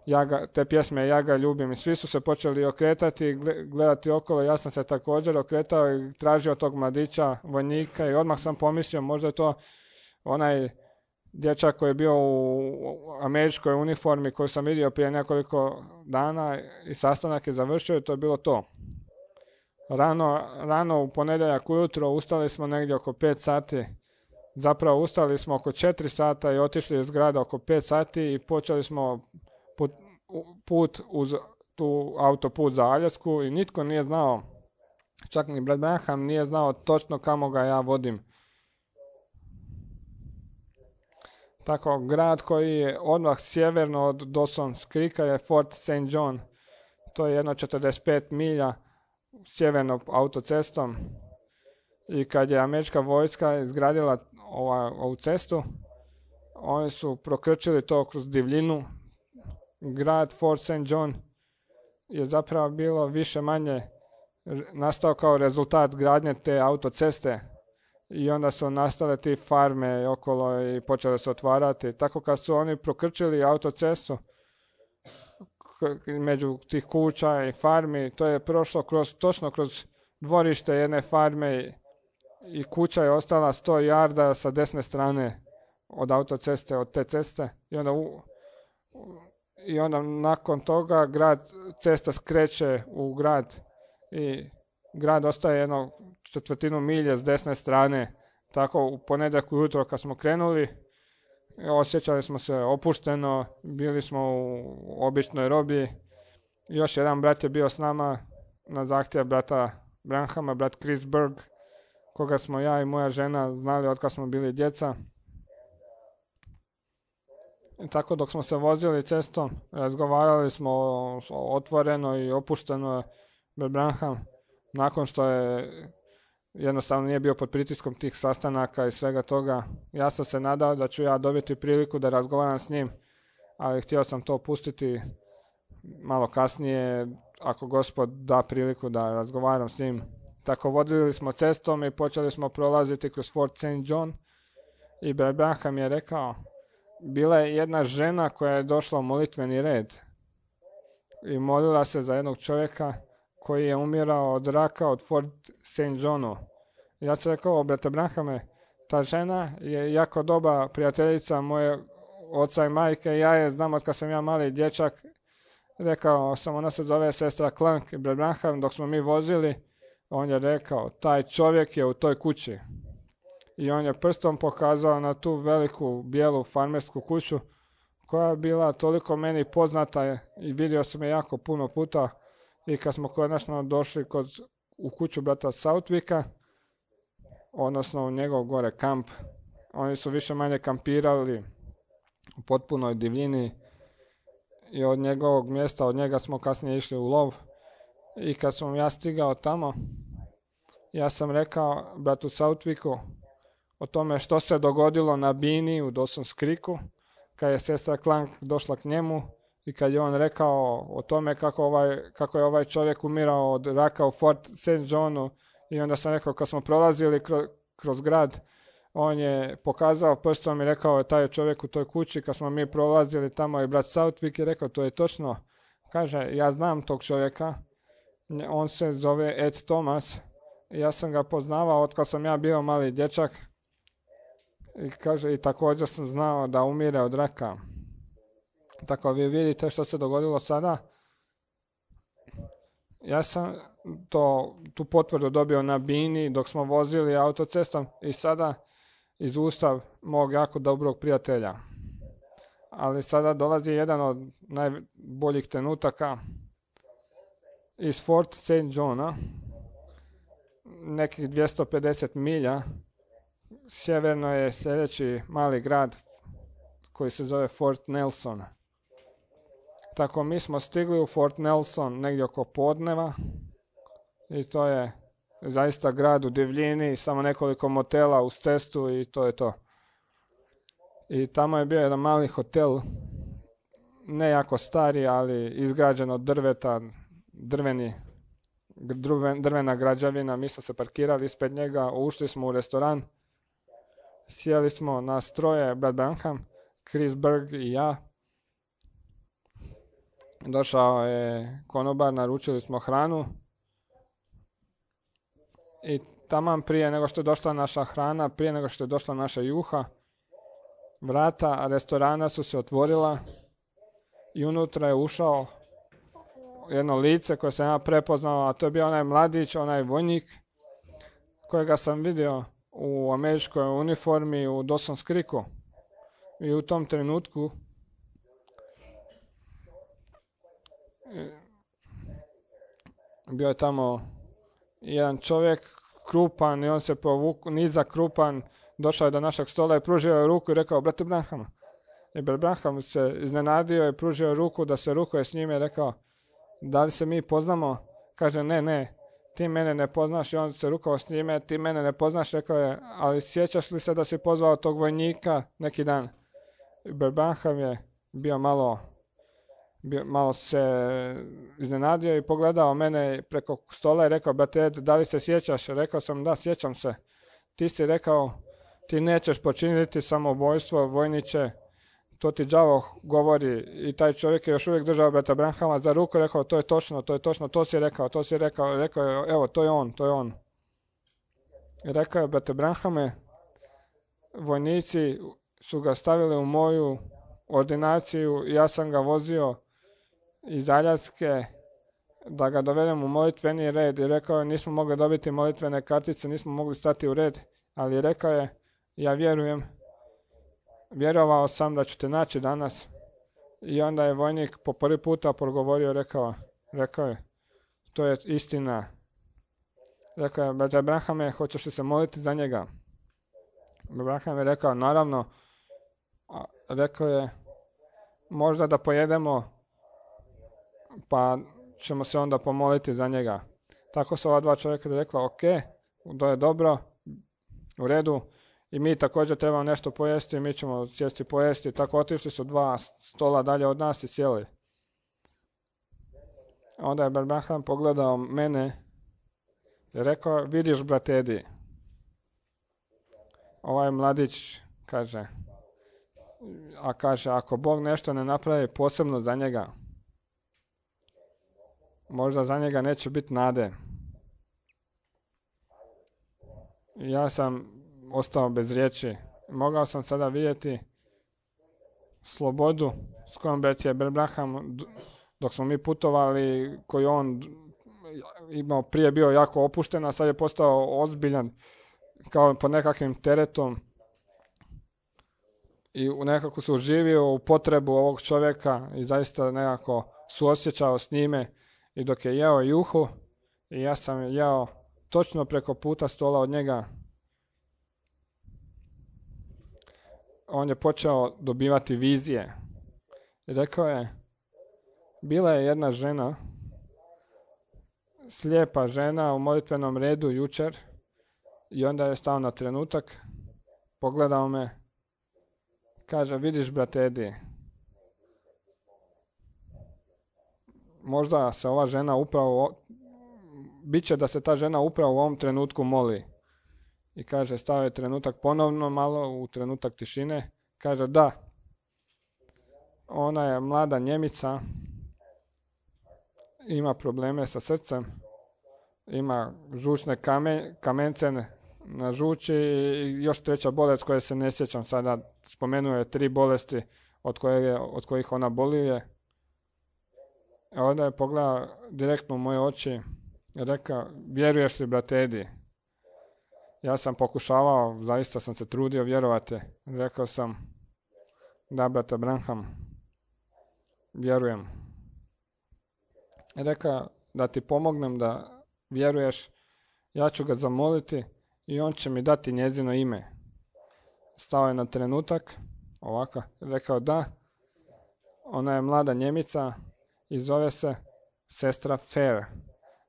ja ga, te pjesme Ja ga ljubim i svi su se počeli okretati i gledati okolo. Ja sam se također okretao i tražio tog mladića, vojnika i odmah sam pomislio možda je to onaj dječak koji je bio u američkoj uniformi koju sam vidio prije nekoliko dana i sastanak je završio i to je bilo to. Rano, rano u ponedjeljak ujutro ustali smo negdje oko pet sati. Zapravo ustali smo oko četiri sata i otišli iz grada oko pet sati i počeli smo put, put uz tu autoput za Aljasku i nitko nije znao, čak ni Brad Branham nije znao točno kamo ga ja vodim. Tako, grad koji je odmah sjeverno od Dawson's Creeka je Fort Saint John. To je jedno četrdeset pet milja sjevernom autocestom. I kad je američka vojska izgradila ova, ovu cestu, oni su prokrčili to kroz divljinu. Grad Fort Saint John je zapravo bilo više manje nastao kao rezultat gradnje te autoceste. I onda su nastale ti farme okolo i počele se otvarati. Tako kad su oni prokrčili autocestu među tih kuća i farmi, to je prošlo kroz, točno kroz dvorište jedne farme i kuća je ostala sto jarda sa desne strane od autoceste, od te ceste. I onda, u, i onda nakon toga grad, cesta skreće u grad i grad ostaje jedno četvrtinu milje s desne strane. Tako u ponedjeljak ujutro kad smo krenuli, osjećali smo se opušteno, bili smo u običnoj robi. Još jedan brat je bio s nama na zahtjev brata Branhama, brat Chris Berg, koga smo ja i moja žena znali od kad smo bili djeca. I tako dok smo se vozili cestom, razgovarali smo otvoreno i opušteno. Brat Branham, nakon što je jednostavno nije bio pod pritiskom tih sastanaka i svega toga, ja sam se nadao da ću ja dobiti priliku da razgovaram s njim, ali htio sam to pustiti malo kasnije, ako Gospod da priliku da razgovaram s njim. Tako vodili smo cestom i počeli smo prolaziti kroz Fort Saint John i Brad Branham je rekao, bila je jedna žena koja je došla u molitveni red i molila se za jednog čovjeka koji je umirao od raka od Fort Saint Johnu. Ja sam rekao, brate Branhame, ta žena je jako dobra prijateljica moje oca i majke, ja je znam od kad sam ja mali dječak. Rekao sam, ona se zove sestra Clark i Brad Branham, dok smo mi vozili, on je rekao, taj čovjek je u toj kući. I on je prstom pokazao na tu veliku bijelu farmersku kuću koja je bila toliko meni poznata i vidio sam je jako puno puta. I kad smo konačno došli kod, u kuću brata Southwicka, odnosno u njegov gore kamp, oni su više manje kampirali u potpunoj divljini i od njegovog mjesta, od njega smo kasnije išli u lov. I kad sam ja stigao tamo, ja sam rekao bratu Southwicku o tome što se dogodilo na bini u Dawson's Creeku, kad je sestra Clark došla k njemu i kad je on rekao o tome kako, ovaj, kako je ovaj čovjek umirao od raka u Fort Saint Johnu. I onda sam rekao, kad smo prolazili kroz, kroz grad, on je pokazao prstom i rekao je taj čovjek u toj kući. Kad smo mi prolazili tamo i brat Southwick je rekao, to je točno. Kaže, ja znam tog čovjeka, on se zove Ed Thomas, ja sam ga poznavao od kad sam ja bio mali dječak. I kaže, i također sam znao da umire od raka. Tako vi vidite što se dogodilo sada. Ja sam to, tu potvrdu dobio na bini dok smo vozili autocestom i sada iz usta mog jako dobrog prijatelja. Ali sada dolazi jedan od najboljih trenutaka iz Fort Saint Johna, nekih dvjesto pedeset milja. Sjeverno je sljedeći mali grad koji se zove Fort Nelson. Tako mi smo stigli u Fort Nelson negdje oko podneva i to je zaista grad u divljini, samo nekoliko motela uz cestu i to je to. I tamo je bio jedan mali hotel, ne jako stari, ali izgrađen od drveta, drveni drvena građevina, mi smo se parkirali ispred njega, ušli smo u restoran, sjeli smo na troje, Brad Branham, Chris Berg i ja. Došao je konobar, naručili smo hranu i taman prije nego što je došla naša hrana, prije nego što je došla naša juha, vrata restorana su se otvorila i unutra je ušao jedno lice koje sam ja prepoznao, a to je bio onaj mladić, onaj vojnik kojega sam vidio u američkoj uniformi u Dawson's Creeku. I u tom trenutku bio je tamo jedan čovjek krupan i on se povuk, nizak krupan, došao je do našeg stola i pružio je ruku i rekao, brate Branham. I Brad Branham se iznenadio i pružio ruku da se rukuje s njime i rekao, da li se mi poznamo? Kaže, ne, ne, ti mene ne poznaš. I on se rukao s njime, ti mene ne poznaš, rekao je, ali sjećaš li se da si pozvao tog vojnika neki dan? I Brad Branham je bio malo, bio, malo se iznenadio i pogledao mene preko stola i rekao, brate Ed, da li se sjećaš? Rekao sam, da, sjećam se. Ti si rekao, ti nećeš počiniti samoubojstvo, vojniče, to ti đavo govori. I taj čovjek je još uvijek držao brata Branhama za ruku i rekao, to je točno, to je točno, to si rekao, to si rekao, rekao je, evo, to je on, to je on. I rekao je, brate Branhame, vojnici su ga stavili u moju ordinaciju i ja sam ga vozio iz Aljaske da ga dovedem u molitveni red i rekao je, nismo mogli dobiti molitvene kartice, nismo mogli stati u red, ali rekao je, ja vjerujem, vjerovao sam da ću te naći danas. I onda je vojnik po prvi puta progovorio, rekao, rekao je, to je istina. Rekao je, brate Branhame, hoćeš li se moliti za njega? Branham je rekao, naravno. Rekao je, možda da pojedemo, pa ćemo se onda pomoliti za njega. Tako su ova dva čovjeka rekla, ok, to je dobro, u redu. I mi također trebamo nešto pojesti, mi ćemo sjesti pojesti. Tako otišli su dva stola dalje od nas i sjeli. Onda je Branham pogledao mene i rekao, vidiš brate Edi, ovaj mladić kaže, a kaže, ako Bog nešto ne napravi posebno za njega, možda za njega neće biti nade. Ja sam ostao bez riječi. Mogao sam sada vidjeti slobodu s kojom je Brad Branham, dok smo mi putovali, koji on imao prije bio jako opušten, a sad je postao ozbiljan, kao pod nekakvim teretom. I nekako se uživio u potrebu ovog čovjeka i zaista nekako suosjećao s njime. I dok je jeo juhu, i ja sam jeo točno preko puta stola od njega, on je počeo dobivati vizije. I rekao je, bila je jedna žena, slijepa žena u molitvenom redu jučer, i onda je stao na trenutak, pogledao me, kaže, vidiš brate Edi, možda se ova žena upravo, bit će da se ta žena upravo u ovom trenutku moli. I kaže, stao je trenutak ponovno malo u trenutak tišine. Kaže, da, ona je mlada Njemica, ima probleme sa srcem, ima žučne kamen, kamence na žuči i još treća bolest koje se ne sjećam sada. Spomenuo je tri bolesti od, koje, od kojih ona boluje. Onda je pogledao direktno u moje oči i rekao, vjeruješ li brate Edi? Ja sam pokušavao, zaista sam se trudio vjerovati. Rekao sam, da brate Branham, vjerujem. Rekao, da ti pomognem da vjeruješ, ja ću ga zamoliti i on će mi dati njezino ime. Stao je na trenutak, ovako, rekao da, ona je mlada Njemica i zove se sestra Fair.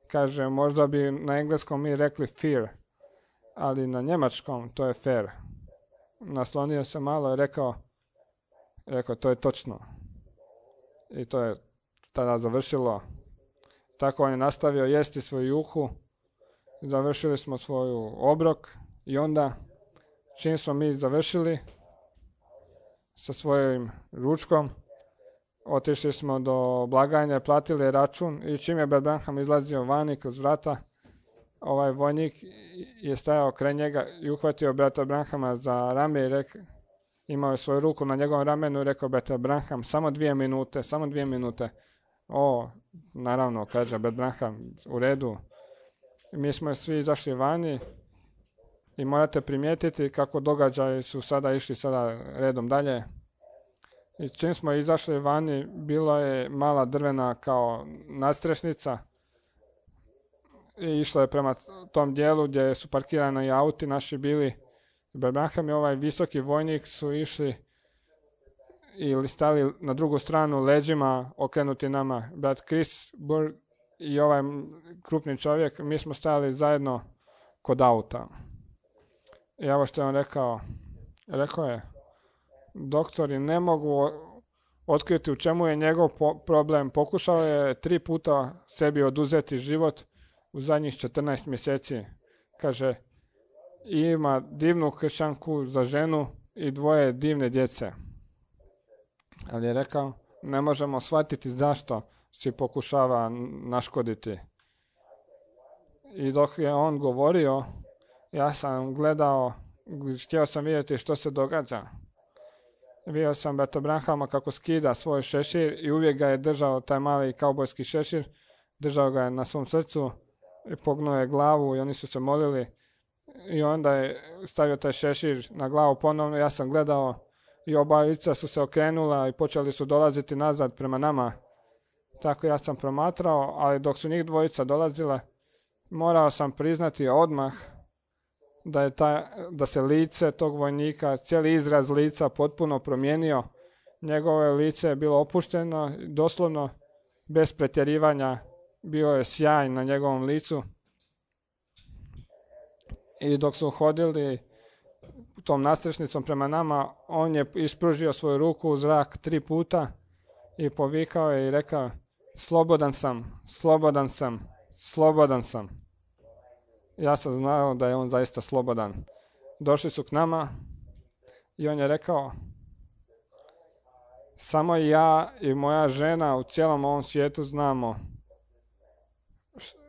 Kaže, možda bi na engleskom mi rekli Fear, ali na njemačkom to je Fair. Naslonio se malo i rekao, rekao, to je točno. I to je tada završilo. Tako on je nastavio jesti svoju juhu. Završili smo svoju obrok i onda čim smo mi završili sa svojim ručkom, otišli smo do blagajne, platili račun i čim je brat Branham izlazio vani kroz vrata, ovaj vojnik je stajao kraj njega i uhvatio brata Branhama za rame i rekao, imao je svoju ruku na njegovom ramenu i rekao, brata Branham, samo dvije minute, samo dvije minute. O, naravno, kaže brat Branham, u redu. Mi smo svi izašli vani i morate primijetiti kako događaji su sada išli sada redom dalje. I čim smo izašli vani, bilo je mala drvena kao nadstrešnica i išla je prema tom dijelu gdje su parkirani auti naši bili. Brat Branham i ovaj visoki vojnik su išli ili stali na drugu stranu leđima okrenuti nama. Brat Chris Burg i ovaj krupni čovjek, mi smo stajali zajedno kod auta. I evo što je on rekao. Rekao je, doktori ne mogu otkriti u čemu je njegov po- problem. Pokušao je tri puta sebi oduzeti život u zadnjih četrnaest mjeseci. Kaže, ima divnu kršćanku za ženu i dvoje divne djece. Ali je rekao, ne možemo shvatiti zašto si pokušava naškoditi. I dok je on govorio, ja sam gledao, htio sam vidjeti što se događa. Vidio sam brata Branhama kako skida svoj šešir i uvijek ga je držao taj mali kaubojski šešir, držao ga je na svom srcu, pognuo je glavu i oni su se molili i onda je stavio taj šešir na glavu ponovno. Ja sam gledao i obavica su se okrenula i počeli su dolaziti nazad prema nama. Tako ja sam promatrao, ali dok su njih dvojica dolazile, morao sam priznati odmah da je ta, da se lice tog vojnika, cijeli izraz lica potpuno promijenio. Njegovo lice je bilo opušteno, doslovno bez pretjerivanja, bio je sjaj na njegovom licu. I dok su hodili tom nastrešnicom prema nama, on je ispružio svoju ruku u zrak tri puta i povikao je i rekao, slobodan sam, slobodan sam, slobodan sam. Ja sam znao da je on zaista slobodan. Došli su k nama i on je rekao, samo ja i moja žena u cijelom ovom svijetu znamo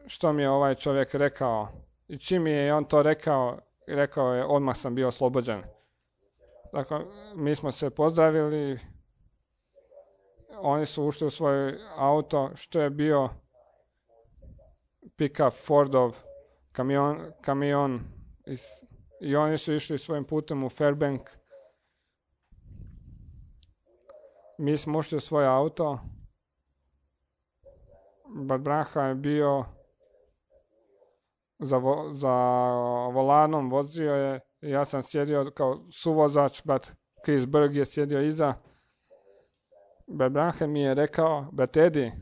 što mi je ovaj čovjek rekao. I čim mi je on to rekao, rekao je, odmah sam bio oslobođen. Dakle, mi smo se pozdravili, oni su ušli u svoj auto, što je bio pick-up Fordov kamion, kamion i, i oni su išli svojim putem u Fairbank. Mi smo ušli u svoj auto, brat Branham je bio za, vo, za volanom, vozio je, ja sam sjedio kao suvozač, brat Chris Burg je sjedio iza. Brat Branham mi je rekao, brat Edi,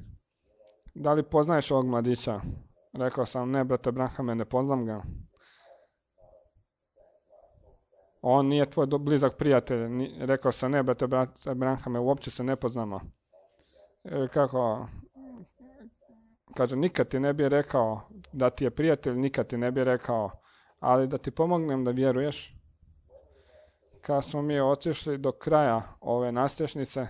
da li poznaješ ovog mladića? Rekao sam, ne, brate Branhame, ne poznam ga. On nije tvoj blizak prijatelj. Rekao sam, ne, brate Branhame, uopće se ne poznamo. E, kako? Kaže, nikad ti ne bi rekao da ti je prijatelj, nikad ti ne bi rekao, ali da ti pomognem da vjeruješ. Kad smo mi otišli do kraja ove nastrešnice,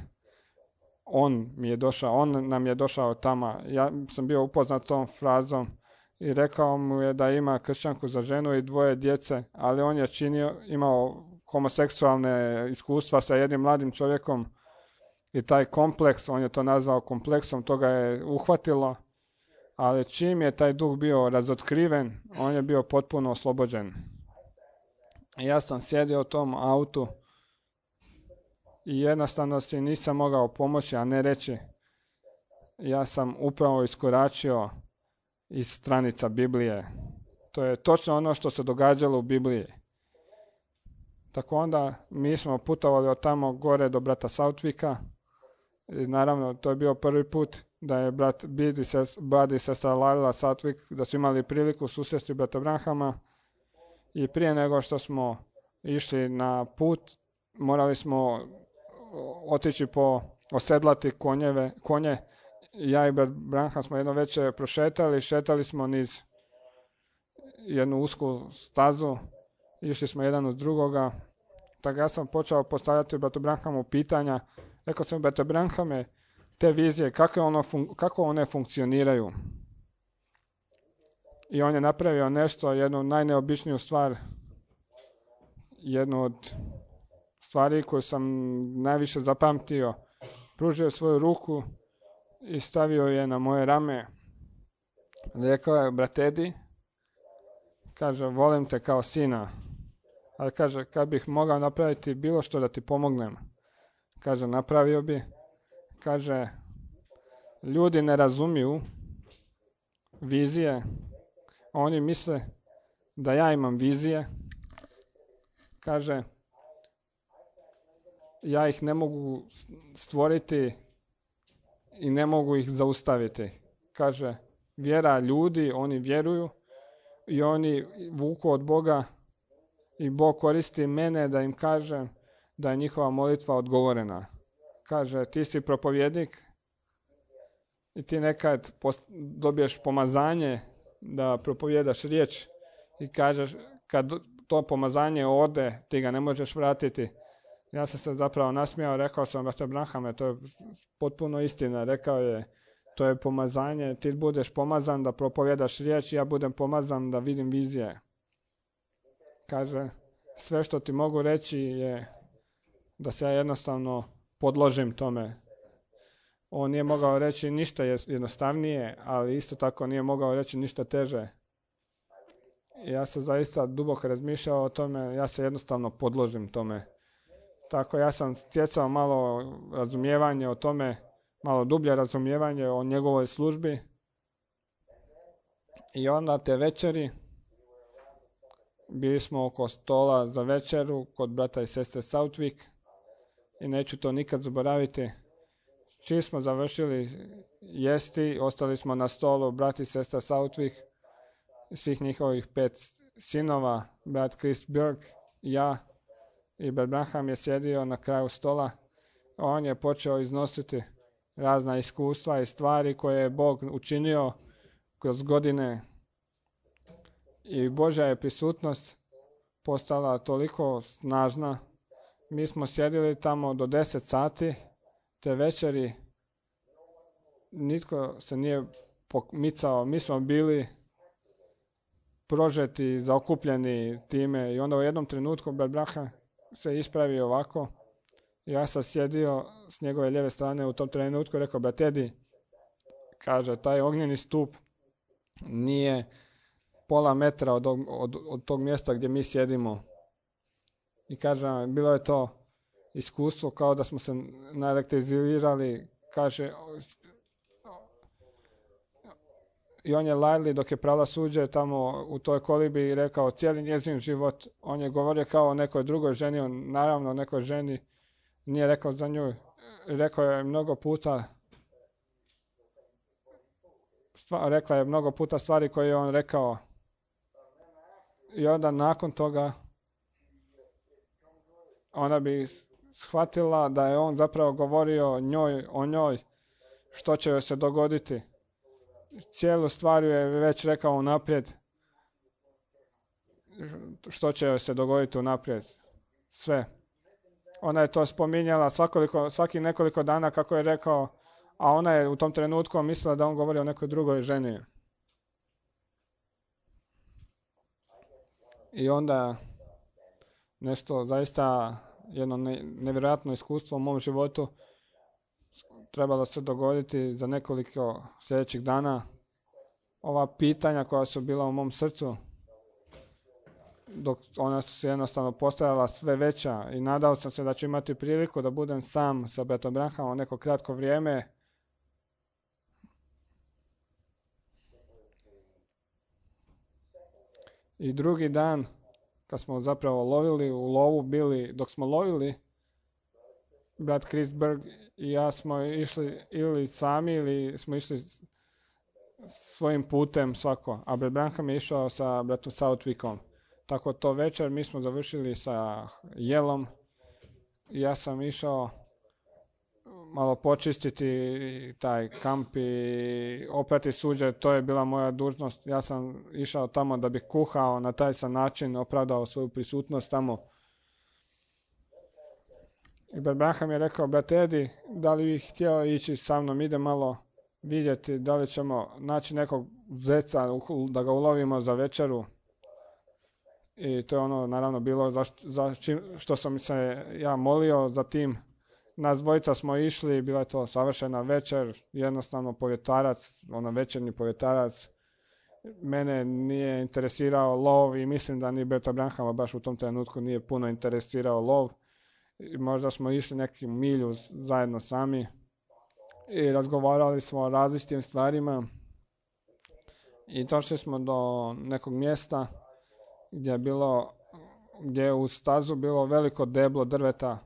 on mi je došao, on nam je došao tamo. Ja sam bio upoznat tom frazom i rekao mu je da ima kršćanku za ženu i dvoje djece, ali on je činio, imao homoseksualne iskustva sa jednim mladim čovjekom i taj kompleks, on je to nazvao kompleksom, to ga je uhvatilo, ali čim je taj duh bio razotkriven, on je bio potpuno oslobođen. I ja sam sjedio u tom autu i jednostavno si nisam mogao pomoći, a ne reći. Ja sam upravo iskoračio iz stranica Biblije. To je točno ono što se događalo u Bibliji. Tako onda mi smo putovali od tamo gore do brata Southwicka. I naravno, to je bio prvi put da je brat Bid i ses, Bud i sestra Laila Southwick, da su imali priliku susresti brata Branhama. I prije nego što smo išli na put, morali smo otići po osedlati konjeve, konje ja i brat Branham smo jedno večer prošetali, šetali smo niz jednu usku stazu, išli smo jedan uz drugoga, tako ja sam počeo postavljati bratu Branhamu pitanja, rekao sam, brate Branhame, te vizije, kako, ono fun- kako one funkcioniraju? I on je napravio nešto, jednu najneobičniju stvar, jednu od stvari koju sam najviše zapamtio. Pružio svoju ruku i stavio je na moje rame. Rekao je, brate Edi, kaže, volim te kao sina, ali kaže, kad bih mogao napraviti bilo što da ti pomognem, kaže, napravio bi. Kaže, ljudi ne razumiju vizije, oni misle da ja imam vizije. Kaže, ja ih ne mogu stvoriti i ne mogu ih zaustaviti. Kaže, vjera ljudi, oni vjeruju i oni vuku od Boga i Bog koristi mene da im kažem da je njihova molitva odgovorena. Kaže, ti si propovjednik i ti nekad dobiješ pomazanje da propovjedaš riječ i kažeš, kad to pomazanje ode, ti ga ne možeš vratiti. Ja sam se zapravo nasmijao, rekao sam, brate Branhame, to je potpuno istina. Rekao je, to je pomazanje, ti budeš pomazan da propovjedaš riječ, ja budem pomazan da vidim vizije. Kaže, sve što ti mogu reći je da se ja jednostavno podložim tome. On nije mogao reći ništa jednostavnije, ali isto tako nije mogao reći ništa teže. Ja sam zaista duboko razmišljao o tome, ja se jednostavno podložim tome. Tako ja sam stjecao malo razumijevanje o tome, malo dublje razumijevanje o njegovoj službi. I onda te večeri bili smo oko stola za večeru kod brata i sestre Southwick i neću to nikad zaboraviti. Čim smo završili jesti, ostali smo na stolu brat i sestra Southwick, svih njihovih pet sinova, brat Chris Burke, ja i brat Branham je sjedio na kraju stola. On je počeo iznositi razna iskustva i stvari koje je Bog učinio kroz godine i Božja je prisutnost postala toliko snažna. Mi smo sjedili tamo do deset sati, te večeri nitko se nije pomicao, mi smo bili prožeti, zaokupljeni time i onda u jednom trenutku brat Branham se ispravio ovako. Ja sam sjedio s njegove lijeve strane u tom trenutku i rekao, brat Edi, kaže, taj ognjeni stup nije pola metra od, od, od tog mjesta gdje mi sjedimo. I kaže, bilo je to iskustvo kao da smo se naelektrizirali, kaže, i on je Lajli dok je prala suđe tamo u toj kolibi i rekao cijeli njezin život. On je govorio kao o nekoj drugoj ženi, on naravno o nekoj ženi nije rekao za nju. Rekao je mnogo puta, stva, rekla je mnogo puta stvari koje je on rekao. I onda nakon toga ona bi shvatila da je on zapravo govorio njoj, o njoj, što će joj se dogoditi. Cijelu stvar je već rekao unaprijed, što će joj se dogoditi unaprijed. Sve. Ona je to spominjala svakoliko, svaki nekoliko dana kako je rekao, a ona je u tom trenutku mislila da on govori o nekoj drugoj ženi. I onda nešto zaista jedno ne, nevjerojatno iskustvo u mom životu trebalo se dogoditi za nekoliko sljedećih dana. Ova pitanja koja su bila u mom srcu, dok ona su se jednostavno postajala sve veća i nadao sam se da ću imati priliku da budem sam sa bratom Branhamom neko kratko vrijeme. I drugi dan, kad smo zapravo lovili, u lovu bili, dok smo lovili, brat Chris Burke i ja smo išli ili sami ili smo išli svojim putem svako, a brat Branham je išao sa bratom Southwickom. Tako to večer mi smo završili sa jelom i ja sam išao malo počistiti taj kamp i oprati suđe, to je bila moja dužnost. Ja sam išao tamo da bih kuhao, na taj sam način opravdao svoju prisutnost tamo. I Bert Branham je rekao, brate Edi, da li bih htio ići sa mnom, ide malo vidjeti da li ćemo naći nekog zeca da ga ulovimo za večeru. I to je ono naravno bilo za, za čim, što sam se ja molio za tim. Nas dvojica smo išli, bila je to savršena večer, jednostavno povjetarac, ono večernji povjetarac. Mene nije interesirao lov i mislim da ni Berta Branhama baš u tom trenutku nije puno interesirao lov. I možda smo išli neku milju zajedno sami i razgovarali smo o različitim stvarima i došli smo do nekog mjesta gdje je bilo, gdje je u stazu bilo veliko deblo drveta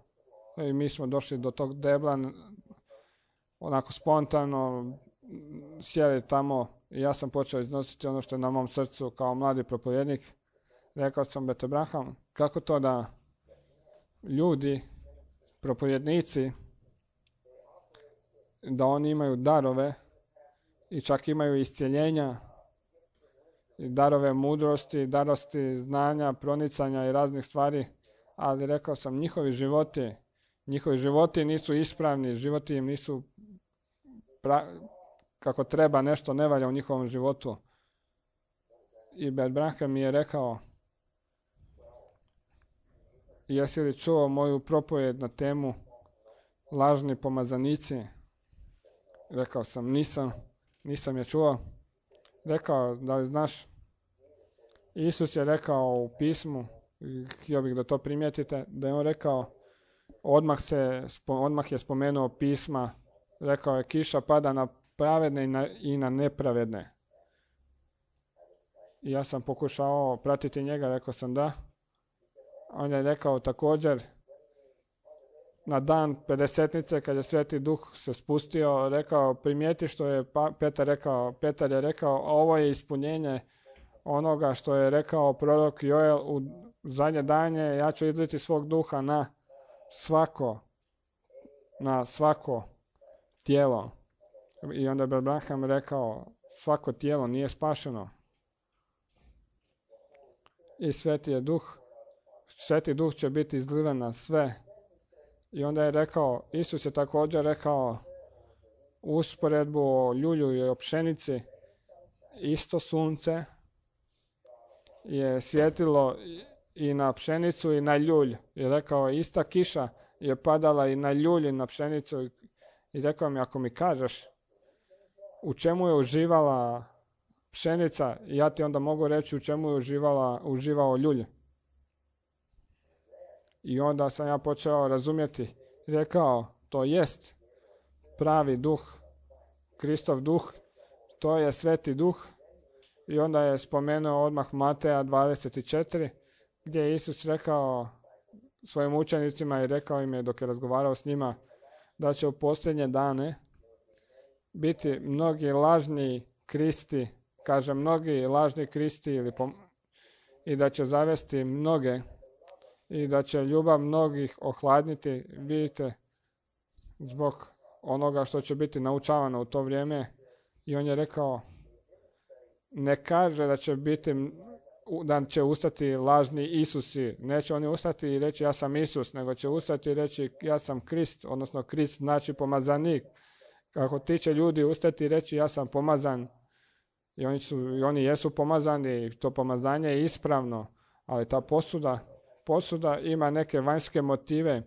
i mi smo došli do tog debla onako spontano, sjeli tamo i ja sam počeo iznositi ono što je na mom srcu kao mladi propovjednik. Rekao sam, Berta Branham, kako to da ljudi, propovjednici, da oni imaju darove i čak imaju iscjeljenja, i darove mudrosti, darosti znanja, pronicanja i raznih stvari, ali rekao sam, njihovi životi, njihovi životi nisu ispravni, životi im nisu pra, kako treba, nešto ne valja u njihovom životu. I Bert Branham mi je rekao, jesi li čuo moju propovjed na temu lažni pomazanici? Rekao sam, nisam, nisam je čuo. Rekao, da li znaš, Isus je rekao u pismu, htio bih da to primijetite, da je on rekao, odmah, se, odmah je spomenuo pisma, rekao je, kiša pada na pravedne i na, i na nepravedne. I ja sam pokušao pratiti njega, rekao sam da. On je rekao također, na dan pedesetnice, kad je Sveti Duh se spustio, rekao, primijeti što je pa, Petar rekao. Petar je rekao, ovo je ispunjenje onoga što je rekao prorok Joel, u zadnje danje ja ću izliti svog duha na svako, na svako tijelo. I onda je Bert Branham rekao, svako tijelo nije spašeno. I Sveti je Duh, Sveti Duh će biti izlivan na sve. I onda je rekao, Isus je također rekao usporedbu o ljulju i o pšenici, isto sunce je svjetilo i na pšenicu i na ljulj. I rekao, ista kiša je padala i na ljulj i na pšenicu. I rekao mi, ako mi kažeš u čemu je uživala pšenica, ja ti onda mogu reći u čemu je uživala, uživao ljulj. I onda sam ja počeo razumjeti, rekao, to jest pravi duh, Kristov duh, to je Sveti Duh. I onda je spomenuo odmah Mateja dvadeset četiri, gdje je Isus rekao svojim učenicima i rekao im je dok je razgovarao s njima, da će u posljednje dane biti mnogi lažni Kristi, kaže mnogi lažni Kristi, ili pom- i da će zavesti mnoge i da će ljubav mnogih ohladniti, vidite, zbog onoga što će biti naučavano u to vrijeme. I on je rekao, ne kaže da će biti, da će ustati lažni Isusi, neće oni ustati i reći ja sam Isus, nego će ustati i reći ja sam Krist, odnosno Krist znači pomazanik. Kako ti će ljudi ustati i reći ja sam pomazan, i oni, su, i oni jesu pomazani, i to pomazanje je ispravno, ali ta posuda, posuda ima neke vanjske motive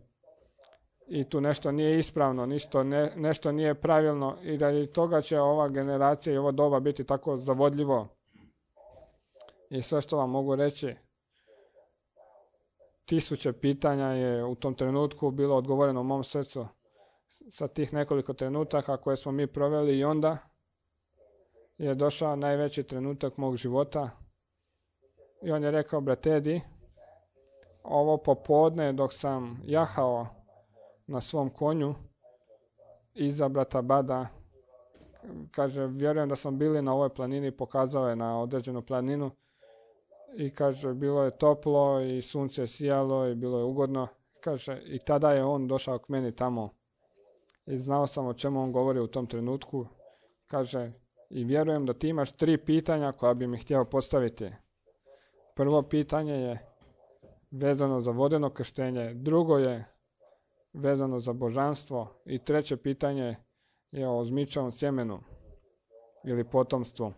i tu nešto nije ispravno, ništo ne, nešto nije pravilno, i radi toga će ova generacija i ovo doba biti tako zavodljivo. I sve što vam mogu reći, tisuće pitanja je u tom trenutku bilo odgovoreno u mom srcu sa tih nekoliko trenutaka koje smo mi proveli, i onda je došao najveći trenutak mog života. I on je rekao, brate Edi, ovo popodne dok sam jahao na svom konju iza brata Bada, kaže, vjerujem da smo bili na ovoj planini, pokazao je na određenu planinu, i kaže, bilo je toplo i sunce je sijalo i bilo je ugodno. Kaže, i tada je on došao k meni tamo i znao sam o čemu on govori u tom trenutku. Kaže, i vjerujem da ti imaš tri pitanja koja bi mi htio postaviti. Prvo pitanje je vezano za vodeno krštenje, drugo je vezano za božanstvo i treće pitanje je o zmičavom sjemenu ili potomstvu.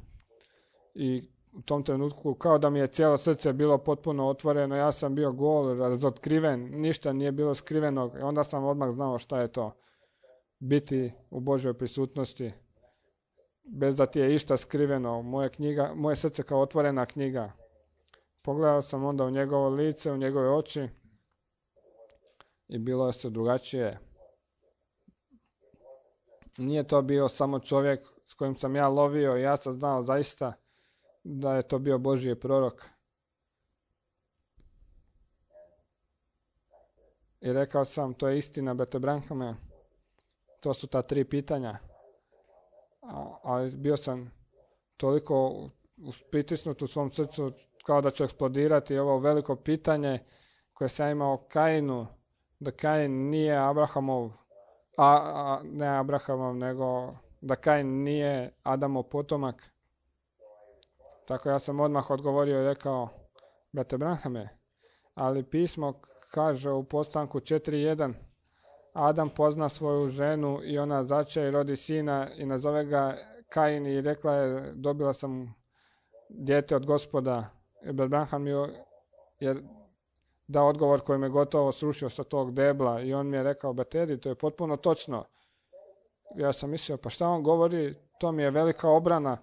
I u tom trenutku kao da mi je cijelo srce bilo potpuno otvoreno, ja sam bio gol, razotkriven, ništa nije bilo skrivenog i onda sam odmah znao šta je to biti u Božjoj prisutnosti bez da ti je išta skriveno. Moje, knjiga, moje srce kao otvorena knjiga. Pogledao sam onda u njegovo lice, u njegove oči i bilo je sve drugačije. Nije to bio samo čovjek s kojim sam ja lovio i ja sam znao zaista da je to bio Božji prorok. I rekao sam, to je istina, brate Branhame, to su ta tri pitanja. Ali bio sam toliko pritisnut u svom srcu kao da će eksplodirati ovo veliko pitanje koje sam imao Kainu, da Kain nije Abrahamov, a, a ne Abrahamov, nego da Kain nije Adamov potomak. Tako ja sam odmah odgovorio i rekao, brate Branhame, ali pismo kaže u Postanku četiri jedan, Adam pozna svoju ženu i ona začeje i rodi sina i nazove ga Kain i rekla je, dobila sam dijete od Gospoda. I brat Branham je dao odgovor koji me gotovo srušio sa tog debla i on mi je rekao, brate, to je potpuno točno. Ja sam mislio, pa šta on govori, to mi je velika obrana.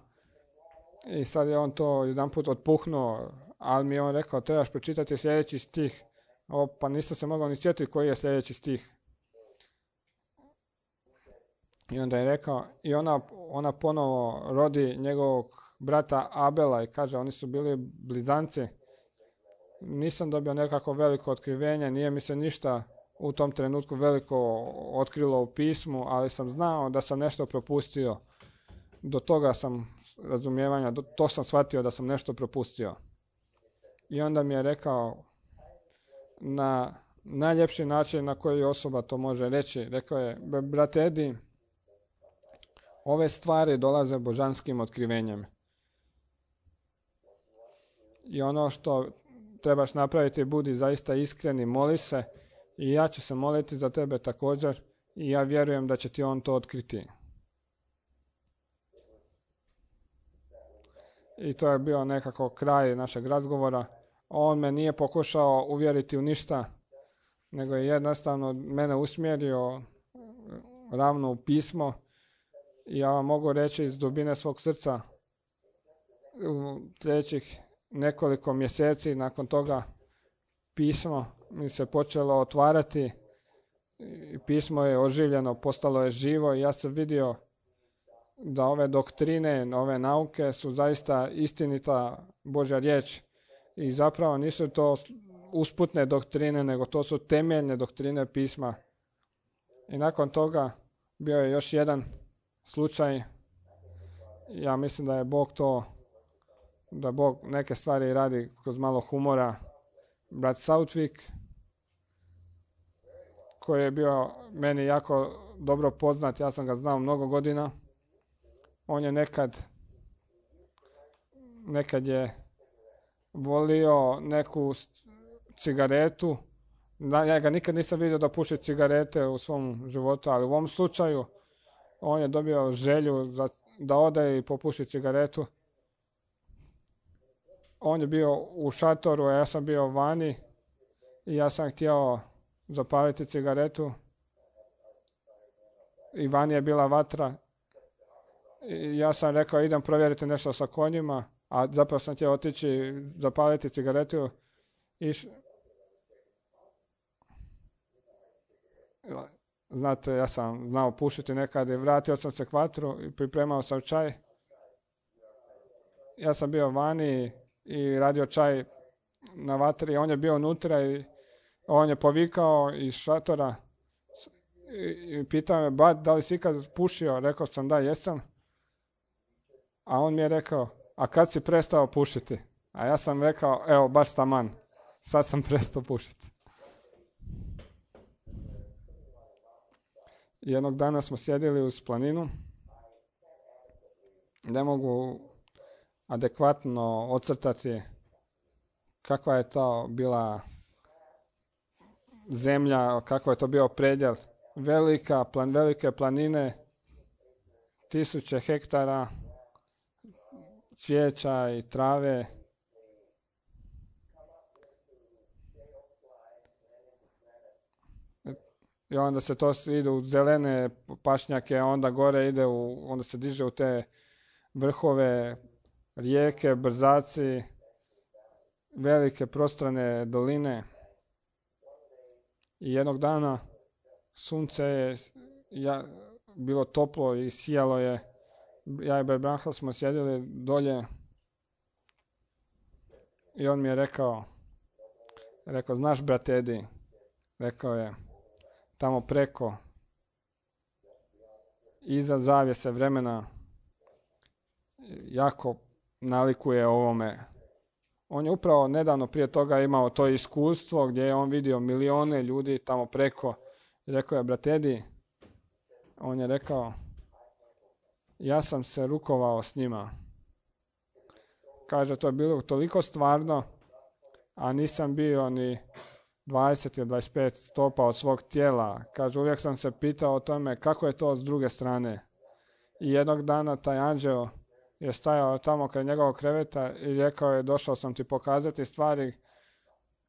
I sad je on to jedanput otpuhnuo, ali mi je on rekao, trebaš pročitati sljedeći stih. O, pa nisam se mogao ni sjetiti koji je sljedeći stih. I onda je rekao, i ona, ona ponovo rodi njegovog brata Abela i kaže, oni su bili blizanci. Nisam dobio nekako veliko otkrivenje, nije mi se ništa u tom trenutku veliko otkrilo u pismu, ali sam znao da sam nešto propustio. Do toga sam razumijevanja, do, to sam shvatio da sam nešto propustio. I onda mi je rekao na najljepši način na koji osoba to može reći. Rekao je, brate Edi, ove stvari dolaze božanskim otkrivenjem. I ono što trebaš napraviti, budi zaista iskreni, moli se i ja ću se moliti za tebe također i ja vjerujem da će ti on to otkriti. I to je bio nekako kraj našeg razgovora. On me nije pokušao uvjeriti u ništa, nego je jednostavno mene usmjerio ravno u pismo. I ja vam mogu reći iz dubine svog srca, u sljedećih nekoliko mjeseci nakon toga pismo mi se počelo otvarati. Pismo je oživljeno, postalo je živo i ja sam vidio da ove doktrine, ove nauke su zaista istinita Božja riječ. I zapravo nisu to usputne doktrine, nego to su temeljne doktrine pisma. I nakon toga bio je još jedan slučaj. Ja mislim da je Bog to, da Bog neke stvari radi kroz malo humora. Brat Southwick, koji je bio meni jako dobro poznat, ja sam ga znao mnogo godina. On je nekad, nekad je volio neku cigaretu. Ja ga nikad nisam vidio da puši cigarete u svom životu, ali u ovom slučaju on je dobio želju za, da ode i popuši cigaretu. On je bio u šatoru, a ja sam bio vani i ja sam htio zapaliti cigaretu. I vani je bila vatra. I ja sam rekao, idem provjeriti nešto sa konjima, a zapravo sam htio otići zapaliti cigaretu. I š... Znate, ja sam znao pušiti nekad i vratio sam se k vatru i pripremao sam čaj. Ja sam bio vani i radio čaj na vatri. On je bio unutra i on je povikao iz šatora i pitao me, bat, da li si ikad pušio? Rekao sam, da, jesam. A on mi je rekao, a kad si prestao pušiti? A ja sam rekao, evo, baš taman, sad sam prestao pušiti. Jednog dana smo sjedili uz planinu. Ne mogu adekvatno ocrtati kakva je to bila zemlja, kako je to bio predjel. Velika, plan, velike planine, tisuće hektara cvijeća i trave. I onda se to ide u zelene pašnjake, onda gore ide u, onda se diže u te vrhove, rijeke, brzaci, velike prostrane doline. I jednog dana sunce je ja, bilo toplo i sijalo je. Ja i Berbranhel smo sjedili dolje i on mi je rekao, rekao, znaš brate Edi, rekao je, tamo preko, iza zavjese vremena, jako nalikuje ovome. On je upravo nedavno prije toga imao to iskustvo gdje je on vidio milijone ljudi tamo preko. I rekao je, brate Edi, on je rekao, ja sam se rukovao s njima. Kaže, to je bilo toliko stvarno, a nisam bio ni dvadeset ili dvadeset pet stopa od svog tijela. Kaže, uvijek sam se pitao o tome kako je to s druge strane. I jednog dana taj anđeo je stajao tamo kraj njegovog kreveta i rekao je, došao sam ti pokazati stvari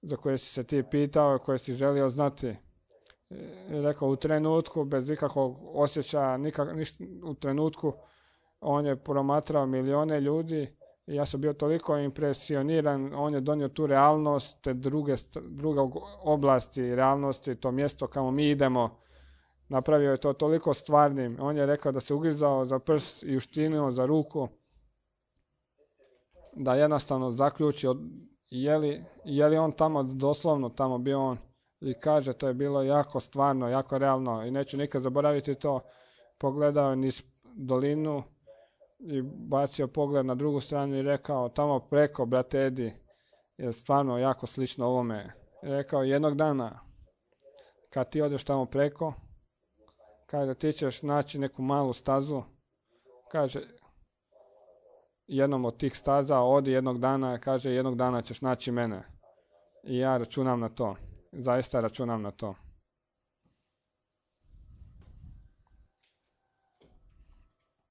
za koje si se ti pitao i koje si želio znati. I rekao, u trenutku, bez ikakvog osjećaja, nikak, niš, u trenutku, on je promatrao milijone ljudi i ja sam bio toliko impresioniran, on je donio tu realnost, te druge, druge oblasti realnosti, to mjesto kamo mi idemo, napravio je to toliko stvarnim. On je rekao da se ugrizao za prst i uštinuo za ruku, da jednostavno zaključi od, je, li, je li on tamo, doslovno tamo bio on. I kaže, to je bilo jako stvarno, jako realno i neću nikad zaboraviti to. Pogledao je niz dolinu i bacio pogled na drugu stranu i rekao, tamo preko, brate Edi, je stvarno jako slično ovome. I rekao, jednog dana, kad ti odeš tamo preko, kaže, ti ćeš naći neku malu stazu, kaže, jednom od tih staza odi jednog dana, kaže, jednog dana ćeš naći mene. I ja računam na to. Zaista računam na to.